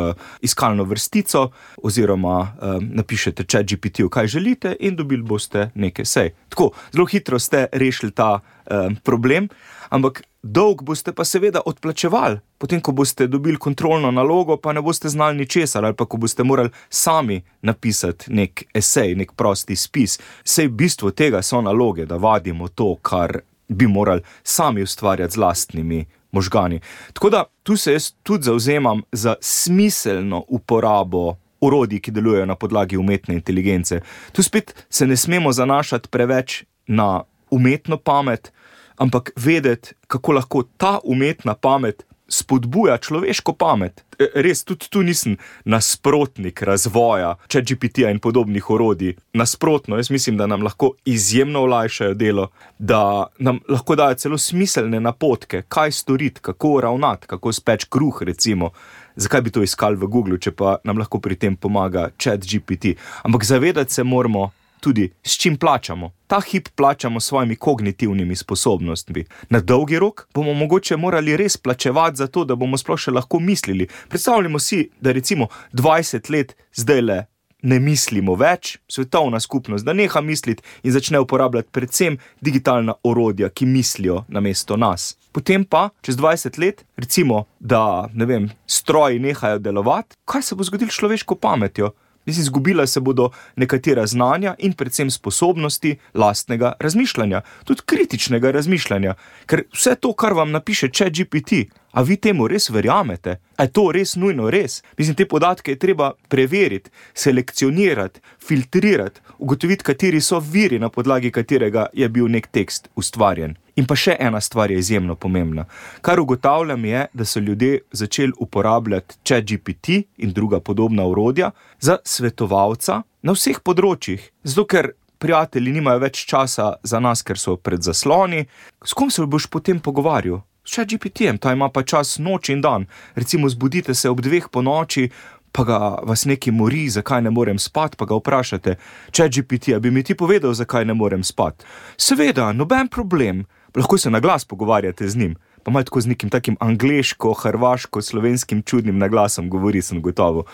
iskalno vrstico oziroma um, napišete ChatGPT-ju, kaj želite in dobili boste nekaj sej. Tako, zelo hitro ste rešili ta um, problem, ampak dolg boste pa seveda odplačevali. Potem, ko boste dobili kontrolno nalogo, pa ne boste znali ničesar, ali pa ko boste morali sami napisati nek esej, nek prosti spis. Sej bistvo tega so naloge, da vadimo to, kar bi morali sami ustvarjati z lastnimi možgani. Tako da tu se jaz tudi zavzemam za smiselno uporabo orodij, ki delujejo na podlagi umetne inteligence. Tu spet se ne smemo zanašati preveč na umetno pamet, ampak vedeti, kako lahko ta umetna pamet spodbuja človeško pamet. Res, tudi tu nisem nasprotnik razvoja ChatGPT-ja in podobnih orodij. Nasprotno, jaz mislim, da nam lahko izjemno olajšajo delo, da nam lahko dajo celo smiselne napotke, kaj storiti, kako ravnati, kako speč kruh, recimo. Zakaj bi to iskali v Google, če pa nam lahko pri tem pomaga ChatGPT? Ampak zavedati se moramo tudi, s čim plačamo. Ta hip plačamo s svojimi kognitivnimi sposobnostmi. Na dolgi rok bomo mogoče morali res plačevati za to, da bomo sploh še lahko mislili. Predstavljamo si, da recimo dvajset let zdajle ne mislimo več, svetovna skupnost, da neha misliti in začne uporabljati predvsem digitalna orodja, ki mislijo namesto nas. Potem pa, čez dvajset let, recimo, da, ne vem, stroji nehajo delovati, kaj se bo zgodilo s človeško pametjo? Izgubila se bodo nekatera znanja in predvsem sposobnosti lastnega razmišljanja, tudi kritičnega razmišljanja, ker vse to, kar vam napiše ChatGPT, a vi temu res verjamete? A je to res nujno res? Mislim, te podatke je treba preveriti, selekcionirati, filtrirati, ugotoviti, kateri so viri, na podlagi katerega je bil nek tekst ustvarjen. In pa še ena stvar je izjemno pomembna. Kar ugotavljam je, da so ljudje začeli uporabljati ChatGPT in druga podobna orodja za svetovalca na vseh področjih. Zato, ker prijatelji nimajo več časa za nas, ker so pred zasloni. S kom se boš potem pogovarjal? S ChatGPT-jem, ta ima pa čas noč in dan. Recimo zbudite se ob dveh po noči, pa ga vas nekaj mori, zakaj ne morem spati, pa ga vprašate, ChatGPT, a bi mi ti povedal, zakaj ne morem spati? Seveda, noben problem. Lahko se na glas pogovarjate z njim. pa malo tako z nekim takim angleško, hrvaško, slovenskim čudnim naglasom govori, sem gotovo.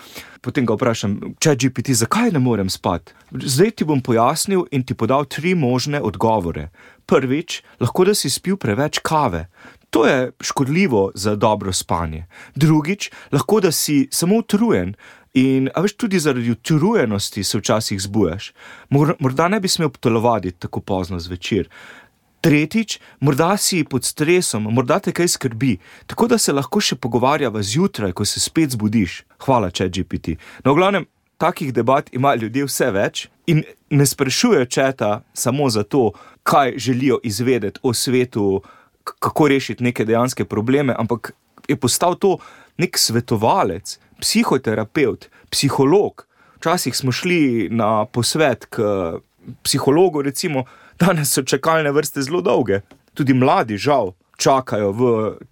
Potem ga vprašam, ChatGPT, zakaj ne morem spati? Zdaj ti bom pojasnil in ti podal tri možne odgovore. Prvič, lahko da si spil preveč kave. To je škodljivo za dobro spanje. Drugič, lahko da si samo utrujen in, a veš, tudi zaradi utrujenosti se včasih zbujaš. Morda ne bi smel telovaditi tako pozno zvečer. Tretjič, morda si pod stresom, morda te kaj skrbi, tako da se lahko še pogovarjava zjutraj, ko se spet zbudiš. Hvala, ChatGPT. No, v glavnem, takih debat ima ljudje vse več in ne sprašujejo četa samo zato, kaj želijo izvedeti o svetu, kako rešiti neke dejanske probleme, ampak je postal to nek svetovalec, psihoterapevt, psiholog. Včasih smo šli na posvet k psihologu, recimo, danes so čakalne vrste zelo dolge. Tudi mladi, žal, čakajo v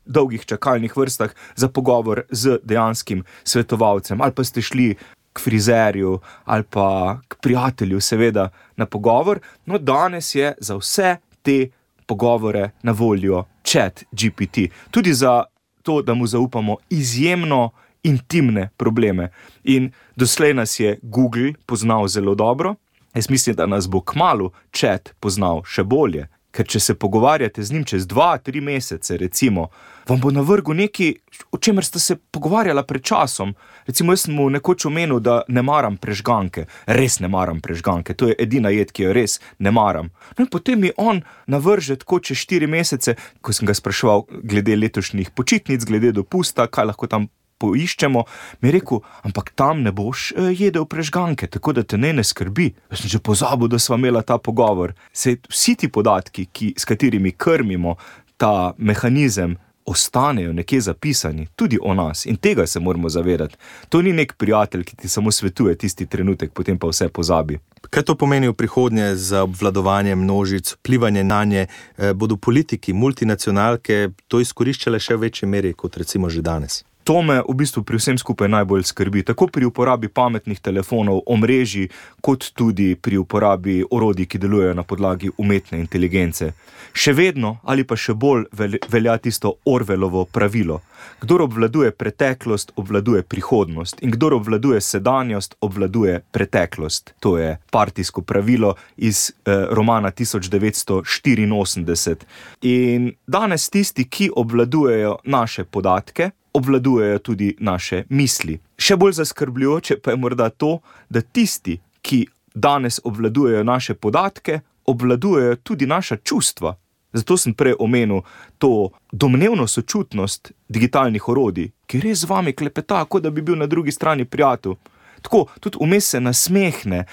dolgih čakalnih vrstah za pogovor z dejanskim svetovalcem. Ali pa ste šli k frizerju, ali pa k prijatelju, seveda, na pogovor. No, danes je za vse te pogovore na voljo ChatGPT. Tudi za to, da mu zaupamo izjemno intimne probleme. In doslej nas je Google poznal zelo dobro. Jaz mislim, da nas bo kmalu chat poznal še bolje, ker če se pogovarjate z njim čez dva, tri mesece, recimo, vam bo navrgel nekaj, o čemer ste se pogovarjala pred časom. Recimo, jaz sem mu nekoč omenil, da ne maram prežganke. Res ne maram prežganke, to je edina jed, ki jo res ne maram. No in potem mi on navrže tako čez štiri mesece, ko sem ga spraševal glede letošnjih počitnic, glede dopusta, kaj lahko tam poiščemo, mi je rekel, ampak tam ne boš jedel prežganke, tako da te ne ne skrbi. Jaz sem že pozabil, da sva imela ta pogovor. Sej vsi ti podatki, ki, s katerimi krmimo ta mehanizem, ostanejo nekje zapisani, tudi o nas, in tega se moramo zavedati. To ni nek prijatelj, ki ti samo svetuje tisti trenutek, potem pa vse pozabi. Kaj to pomeni v prihodnje za obvladovanje množic, vplivanje na nje? Bodo politiki, multinacionalke to izkoriščale še v večji meri, kot recimo že danes? To me v bistvu pri vsem skupaj najbolj skrbi, tako pri uporabi pametnih telefonov, omrežij, kot tudi pri uporabi orodij, ki delujejo na podlagi umetne inteligence. Še vedno ali pa še bolj velja tisto Orwellovo pravilo. Kdor obvladuje preteklost, obvladuje prihodnost in kdor obvladuje sedanjost, obvladuje preteklost. To je partijsko pravilo iz eh, romana tisoč devetsto štiriinosemdeset. In danes tisti, ki obvladujejo naše podatke, obvladujejo tudi naše misli. Še bolj zaskrbljujoče pa je morda to, da tisti, ki danes obvladujejo naše podatke, obvladujejo tudi naša čustva. Zato sem prej omenil to domnevno sočutnost digitalnih orodij, ki res z vami klepeta, kot da bi bil na drugi strani prijatelj. Tako, tudi vmes se nasmehne,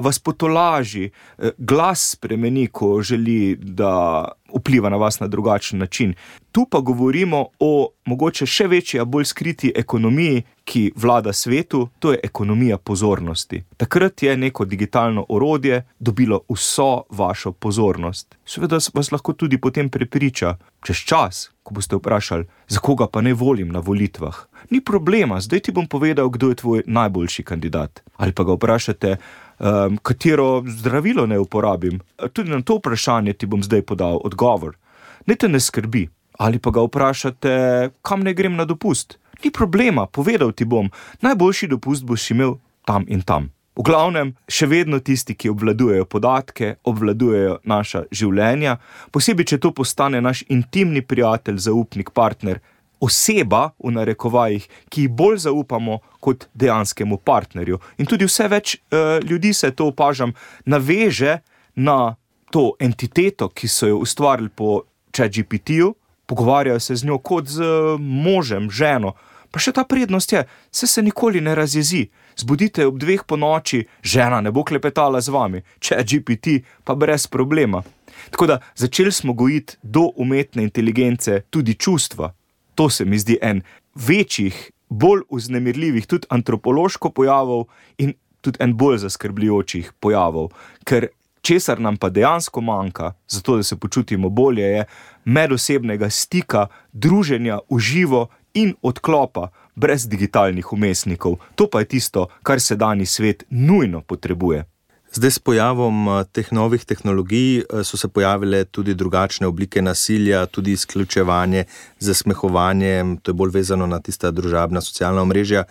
vas potolaži, glas spremeni, ko želi, da vpliva na vas na drugačen način. Tu pa govorimo o mogoče še večji, a bolj skriti ekonomiji, ki vlada svetu, to je ekonomija pozornosti. Takrat je neko digitalno orodje dobilo vso vašo pozornost. Seveda vas lahko tudi potem prepriča, čez čas, ko boste vprašali, za koga pa ne volim na volitvah. Ni problema, zdaj ti bom povedal, kdo je tvoj najboljši kandidat. Ali pa ga vprašate, um, katero zdravilo ne uporabim. Tudi na to vprašanje ti bom zdaj podal odgovor. Ne te ne skrbi. Ali pa ga vprašate, kam ne grem na dopust. Ni problema, povedal ti bom, najboljši dopust boš imel tam in tam. V glavnem, še vedno tisti, ki obvladujejo podatke, obvladujejo naša življenja, posebej, če to postane naš intimni prijatelj, zaupnik, partner, oseba, v narekovajih, ki ji bolj zaupamo kot dejanskemu partnerju. In tudi vse več uh, ljudi se, to opažam, naveže na to entiteto, ki so jo ustvarili po ChatGPT-ju, pogovarjajo se z njo kot z možem, ženo. Pa še ta prednost je, se se nikoli ne razjezi. Zbudite ob dveh po noči, žena ne bo klepetala z vami, ChatGPT pa brez problema. Tako da začeli smo gojiti do umetne inteligence tudi čustva. To se mi zdi en večjih, bolj vznemirljivih, tudi antropološko pojavov in tudi en bolj zaskrbljujočih pojavov, ker česar nam pa dejansko manjka, zato da se počutimo bolje, je medosebnega stika, druženja v živo in odklopa brez digitalnih vmesnikov. To pa je tisto, kar sedanji svet nujno potrebuje. Zdaj s pojavom teh novih tehnologij so se pojavile tudi drugačne oblike nasilja, tudi izključevanje, zasmehovanje, to je bolj vezano na tista družabna socialna omrežja,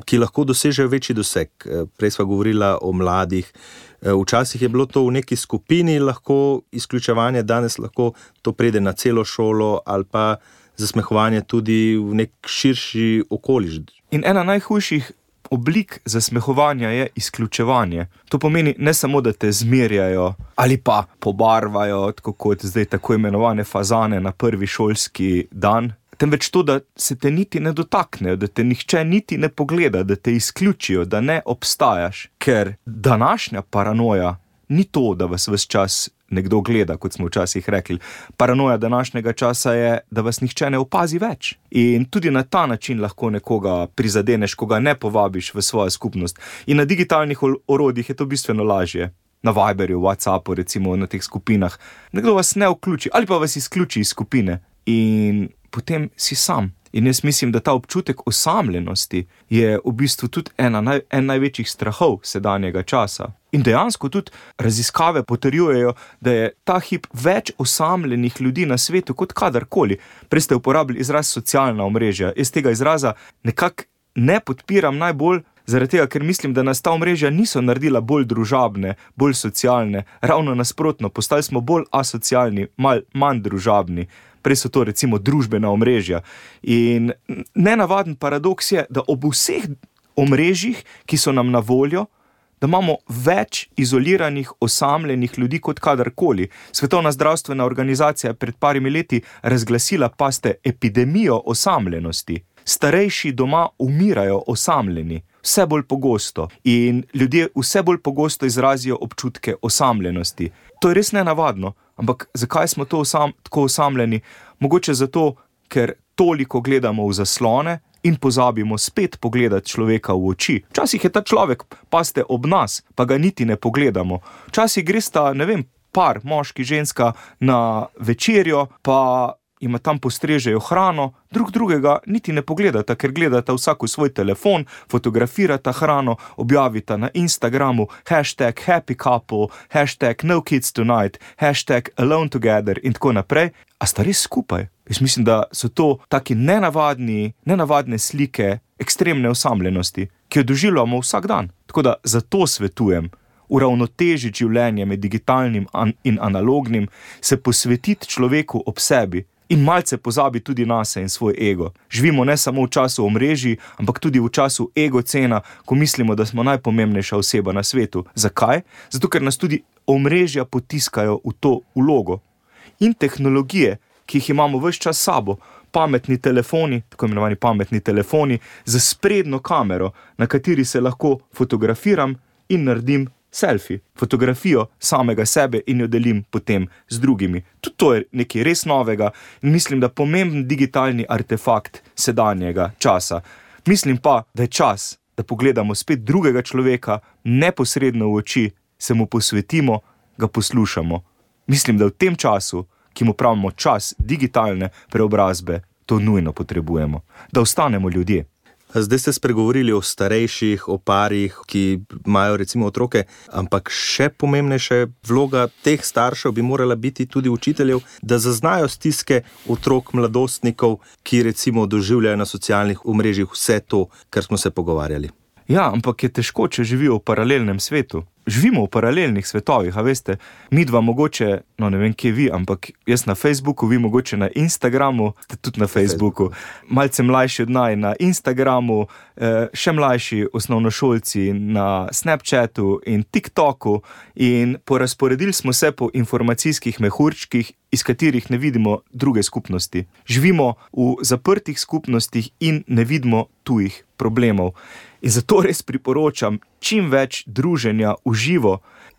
ki lahko dosežejo večji doseg. Prej sva govorila o mladih. Včasih je bilo to v neki skupini lahko izključevanje, danes lahko to pride na celo šolo ali pa zasmehovanje tudi v nek širši okoliš. In ena najhujših oblik zasmehovanja je izključevanje. To pomeni ne samo, da te zmerjajo ali pa pobarvajo, tako kot zdaj tako imenovane fazane na prvi šolski dan, temveč to, da se te niti ne dotaknejo, da te nihče niti ne pogleda, da te izključijo, da ne obstajaš. Ker današnja paranoja ni to, da vas ves čas nekdo gleda, kot smo včasih rekli. Paranoja današnjega časa je, da vas nihče ne opazi več. In tudi na ta način lahko nekoga prizadeneš, ko ga ne povabiš v svojo skupnost. In na digitalnih orodjih je to bistveno lažje. Na Viberju, WhatsAppu, recimo na teh skupinah. Nekdo vas ne vključi ali pa vas izključi iz skupine. In potem si sam. In jaz mislim, da ta občutek osamljenosti je v bistvu tudi ena naj, en največjih strahov sedanjega časa. In dejansko tudi raziskave potrjujejo, da je ta hip več osamljenih ljudi na svetu kot kadarkoli. Prej ste uporabili izraz socialna omrežja. Jaz tega izraza nekako ne podpiram najbolj, zaradi tega, ker mislim, da nas ta omrežja niso naredila bolj družabne, bolj socialne. Ravno nasprotno, postali smo bolj asocialni, mal, manj družabni. Prej so to recimo družbena omrežja. In nenavaden paradoks je, da ob vseh omrežjih, ki so nam na voljo, da imamo več izoliranih, osamljenih ljudi kot kadarkoli. Svetovna zdravstvena organizacija je pred parimi leti razglasila, paste, epidemijo osamljenosti. Starejši doma umirajo osamljeni, vse bolj pogosto. In ljudje vse bolj pogosto izrazijo občutke osamljenosti. To je res nenavadno, ampak zakaj smo to osam, tako osamljeni? Mogoče zato, ker toliko gledamo v zaslone in pozabimo spet pogledati človeka v oči. Včasih je ta človek, paste, ob nas, pa ga niti ne pogledamo. Včasih gresta, ne vem, par, moški, ženska na večerjo, pa ima tam postrežejo hrano, drug drugega niti ne pogledata, ker gledata vsak v svoj telefon, fotografirata hrano, objavita na Instagramu hashtag happy couple, hashtag no kids tonight, hashtag alone together in tako naprej. A sta res skupaj? Jaz mislim, da so to taki nenavadni, nenavadne slike ekstremne osamljenosti, ki jo doživljamo vsak dan. Tako da zato svetujem uravnotežiti življenje med digitalnim in analognim, se posvetiti človeku ob sebi, in malce pozabi tudi nase in svoj ego. Živimo ne samo v času omrežij, ampak tudi v času egocena, ko mislimo, da smo najpomembnejša oseba na svetu. Zakaj? Zato, ker nas tudi omrežja potiskajo v to vlogo. In tehnologije, ki jih imamo ves čas sabo, pametni telefoni, tako imenovani pametni telefoni, z sprednjo kamero, na kateri se lahko fotografiram in naredim selfie, fotografijo samega sebe in jo delim potem z drugimi. Tudi to je nekaj res novega in mislim, da pomemben digitalni artefakt sedanjega časa. Mislim pa, da je čas, da pogledamo spet drugega človeka neposredno v oči, se mu posvetimo, ga poslušamo. Mislim, da v tem času, ki mu pravimo čas digitalne preobrazbe, to nujno potrebujemo. Da ostanemo ljudje. Zdaj ste spregovorili o starejših, o parih, ki imajo recimo otroke, ampak še pomembnejša vloga teh staršev bi morala biti tudi učiteljev, da zaznajo stiske otrok, mladostnikov, ki recimo doživljajo na socialnih omrežjih vse to, kar smo se pogovarjali. Ja, ampak je težko, če živijo v paralelnem svetu. Živimo v paralelnih svetovih, a veste, mi dva mogoče, no ne vem, kje vi, ampak jaz na Facebooku, vi mogoče na Instagramu, ste tudi na Facebooku, malce mlajši od naj na Instagramu, še mlajši osnovnošolci na Snapchatu in TikToku in porazporedili smo se po informacijskih mehurčkih, iz katerih ne vidimo druge skupnosti. Živimo v zaprtih skupnostih in ne vidimo tujih problemov. In zato res priporočam čim več druženja v živo.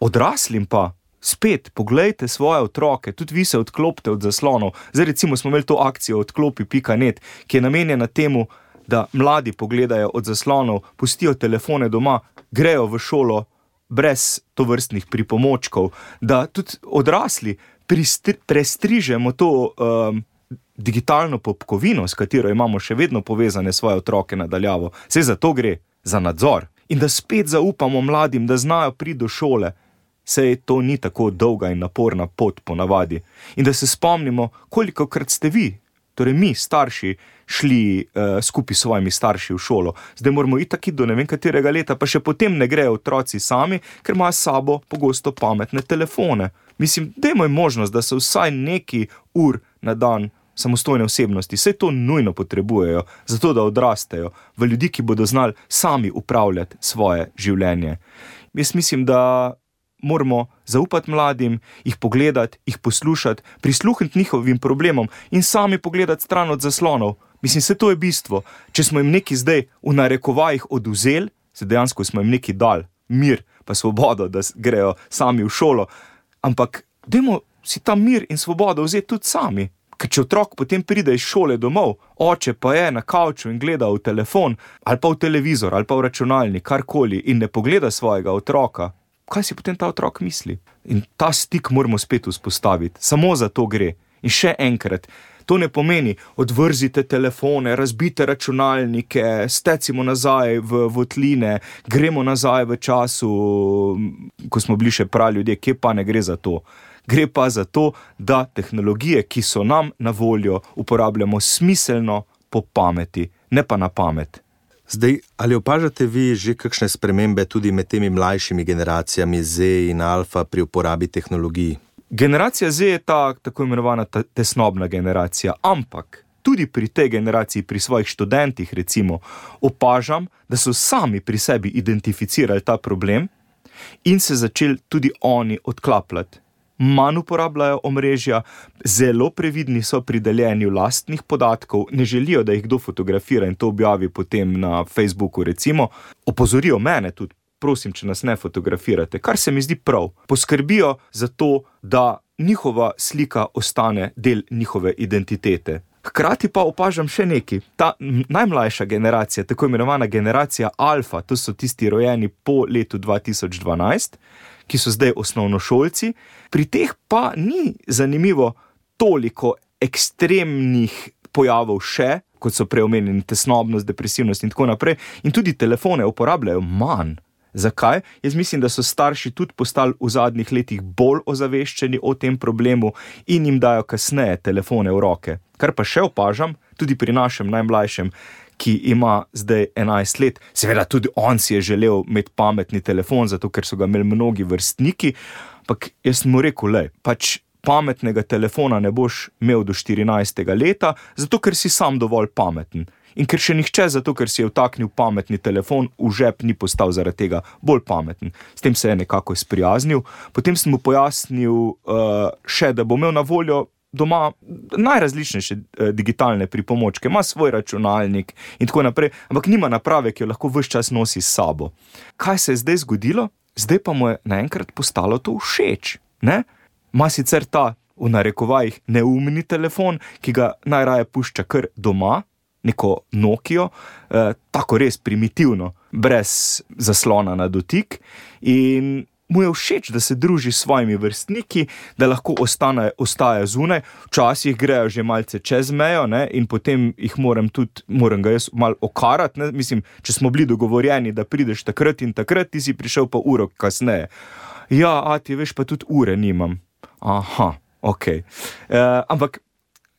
Odraslim pa, spet, poglejte svoje otroke, tudi vi se odklopite od zaslonov. Zdaj recimo smo imeli to akcijo odklopi pika net, ki je namenjena temu, da mladi pogledajo od zaslonov, pustijo telefone doma, grejo v šolo brez tovrstnih pripomočkov, da tudi odrasli pristri, prestrižemo to um, digitalno popkovino, s katero imamo še vedno povezane svoje otroke nadaljavo. Saj za to gre, za nadzor. in da spet zaupamo mladim, da znajo priti do šole. Sej to ni tako dolga in naporna pot po navadi. In da se spomnimo, kolikokrat ste vi, torej mi, starši, šli uh, skupaj s svojimi starši v šolo. Zdaj moramo itak iti do ne vem katerega leta, pa še potem ne grejo otroci sami, ker imajo s sabo pogosto pametne telefone. Mislim, dajmo jim možnost, da so vsaj neki ur na dan samostojne osebnosti. Saj to nujno potrebujejo, zato da odrastejo v ljudi, ki bodo znali sami upravljati svoje življenje. Jaz mislim, da moramo zaupati mladim, jih pogledati, jih poslušati, prisluhniti njihovim problemom in sami pogledati stran od zaslonov. Mislim, se to je bistvo. Če smo jim neki zdaj v narekovajih oduzeli, se dejansko smo jim neki dali mir pa svobodo, da grejo sami v šolo, ampak dajmo si ta mir in svobodo vzeti tudi sami. Ker če otrok potem pride iz šole domov, oče pa je na kavču in gleda v telefon, ali pa v televizor, ali pa v računalnik, karkoli, in ne pogleda svojega otroka, kaj si potem ta otrok misli? In ta stik moramo spet vzpostaviti. Samo za to gre. In še enkrat, to ne pomeni odvrzite telefone, razbite računalnike, stecimo nazaj v votline, gremo nazaj v času, ko smo bili še pravi ljudje, kje pa ne gre za to. Gre pa za to, da tehnologije, ki so nam na voljo, uporabljamo smiselno po pameti, ne pa na pamet. Zdaj, ali opažate vi že kakšne spremembe tudi med temi mlajšimi generacijami Z in Alfa pri uporabi tehnologij? Generacija Z je ta tako imenovana ta tesnobna generacija, ampak tudi pri tej generaciji, pri svojih študentih recimo, opažam, da so sami pri sebi identificirali ta problem in se začeli tudi oni odklapljati. Manj uporabljajo omrežja, zelo previdni so pri deljenju lastnih podatkov, ne želijo, da jih kdo fotografira in to objavi potem na Facebooku recimo. Opozorijo mene tudi, prosim, če nas ne fotografirate, kar se mi zdi prav. Poskrbijo za to, da njihova slika ostane del njihove identitete. Hkrati pa opažam še nekaj. Ta najmlajša generacija, tako imenovana generacija Alfa, to so tisti rojeni po letu dva tisoč dvanajst, ki so zdaj osnovnošolci, pri teh pa ni zanimivo toliko ekstremnih pojavov še, kot so preomenjeni tesnobnost, depresivnost in tako naprej, in tudi telefone uporabljajo manj. Zakaj? Jaz mislim, da so starši tudi postali v zadnjih letih bolj ozaveščeni o tem problemu in jim dajo kasneje telefone v roke. Kar pa še opažam, tudi pri našem najmlajšem, ki ima zdaj enajst let, seveda tudi on si je želel imeti pametni telefon, zato ker so ga imeli mnogi vrstniki, ampak jaz mu rekel, lej, pač pametnega telefona ne boš imel do štirinajstega leta, zato ker si sam dovolj pameten. In ker še nihče, zato ker si je vtaknil pametni telefon, v žep ni postal zaradi tega bolj pameten. S tem se je nekako sprijaznil. Potem sem mu pojasnil uh, še, da bo imel na voljo doma najrazličnejše uh, digitalne pripomočke, ima svoj računalnik in tako naprej, ampak nima naprave, ki jo lahko ves čas nosi s sabo. Kaj se je zdaj zgodilo? Zdaj pa mu je naenkrat postalo to všeč, ne? Ma sicer ta, v narekovajih, neumni telefon, ki ga najraje pušča kar doma, neko Nokio, eh, tako res primitivno, brez zaslona na dotik, in mu je všeč, da se druži s svojimi vrstniki, da lahko ostane, ostaja zunaj, včasih grejo že malce čez mejo, ne, in potem jih moram tudi, moram ga jaz malo okarati, ne, mislim, če smo bili dogovorjeni, da prideš takrat in takrat, ti si prišel pa uro kasneje. Ja, ati, veš, pa tudi ure nimam. Aha, okej. Okay. Eh, ampak,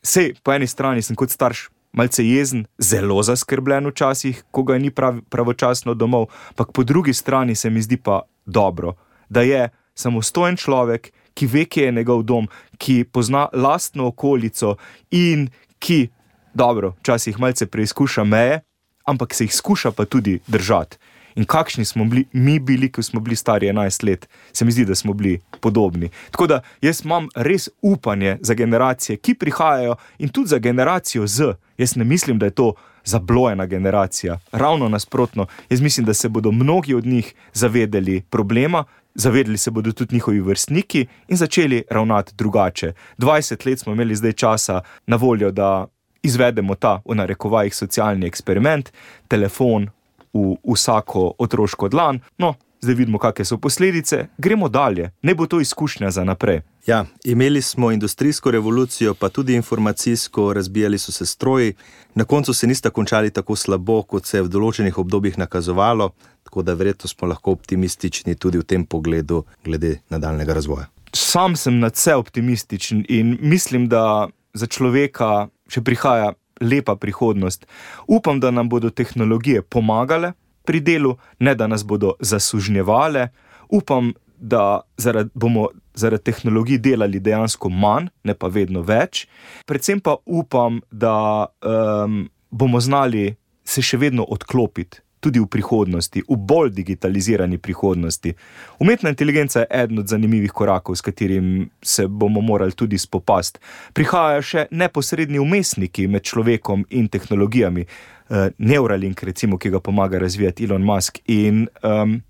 sej, po eni strani sem kot starš malce jezen, zelo zaskrbljen včasih, ko ga ni prav, pravočasno domov, pak po drugi strani se mi zdi pa dobro, da je samostojen človek, ki ve, kje je njegov dom, ki pozna lastno okolico in ki, dobro, včasih malce preizkuša meje, ampak se jih skuša pa tudi držati. In kakšni smo bili, mi bili, ko smo bili stari enajst let, se mi zdi, da smo bili podobni. Tako da jaz imam res upanje za generacije, ki prihajajo, in tudi za generacijo Z. Jaz ne mislim, da je to zablojena generacija. Ravno nasprotno, jaz mislim, da se bodo mnogi od njih zavedeli problema, zavedeli se bodo tudi njihovi vrstniki in začeli ravnati drugače. dvajset let smo imeli zdaj časa na voljo, da izvedemo ta, v narekovajih, socialni eksperiment, telefon v vsako otroško dlan, no, zdaj vidimo, kakšne so posledice, gremo dalje, ne bo to izkušnja za naprej. Ja, imeli smo industrijsko revolucijo, pa tudi informacijsko, razbijali so se stroji, na koncu se nista končali tako slabo, kot se je v določenih obdobjih nakazovalo, tako da verjetno smo lahko optimistični tudi v tem pogledu glede nadaljnega razvoja. Sam sem nadvse optimističen in mislim, da za človeka še prihaja lepa prihodnost. Upam, da nam bodo tehnologije pomagale pri delu, ne da nas bodo zasužnjevale. Upam, da zaradi, bomo zaradi tehnologij delali dejansko manj, ne pa vedno več. Predvsem pa upam, da um, bomo znali se še vedno odklopiti tudi v prihodnosti, v bolj digitalizirani prihodnosti. Umetna inteligenca je eden od zanimivih korakov, s katerim se bomo morali tudi spopasti. Prihajajo še neposredni vmesniki med človekom in tehnologijami. Uh, Neuralink, recimo, ki ga pomaga razvijati Elon Musk. In um,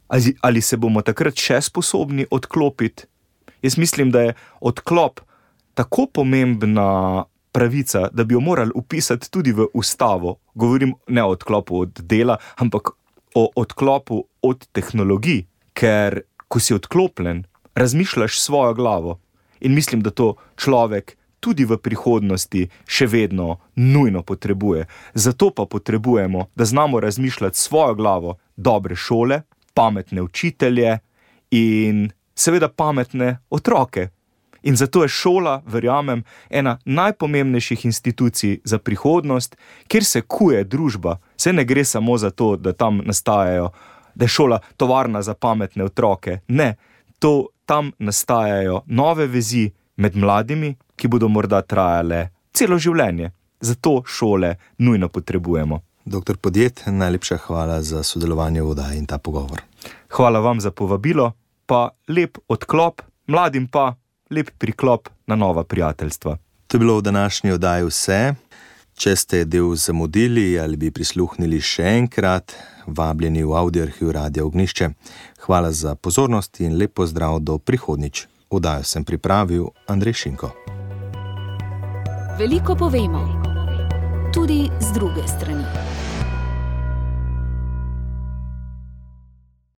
ali, ali se bomo takrat še sposobni odklopiti? Jaz mislim, da je odklop tako pomembna pravica, da bi jo morali upisati tudi v ustavo. Govorim ne o odklopu od dela, ampak o odklopu od tehnologij, ker ko si odklopljen, razmišljaš svojo glavo in mislim, da to človek tudi v prihodnosti še vedno nujno potrebuje. Zato pa potrebujemo, da znamo razmišljati svojo glavo, dobre šole, pametne učitelje in seveda pametne otroke. In zato je šola, verjamem, ena najpomembnejših institucij za prihodnost, kjer se kuje družba. Se ne gre samo za to, da tam nastajajo, da je šola tovarna za pametne otroke. Ne, to tam nastajajo nove vezi med mladimi, ki bodo morda trajale celo življenje. Zato šole nujno potrebujemo. Doktor Podjed, najlepša hvala za sodelovanje v oddaji in ta pogovor. Hvala vam za povabilo, pa lep odklop, mladim pa lep priklop na nova prijateljstva. To je bilo v današnji oddaji vse. Če ste del zamudili ali bi prisluhnili še enkrat, vabljeni v audioarhiv Radia Ognjišče. Hvala za pozornost in lep pozdrav do prihodnjič. Oddajo sem pripravil Andrej Šinko. Veliko povemo, tudi z druge strani.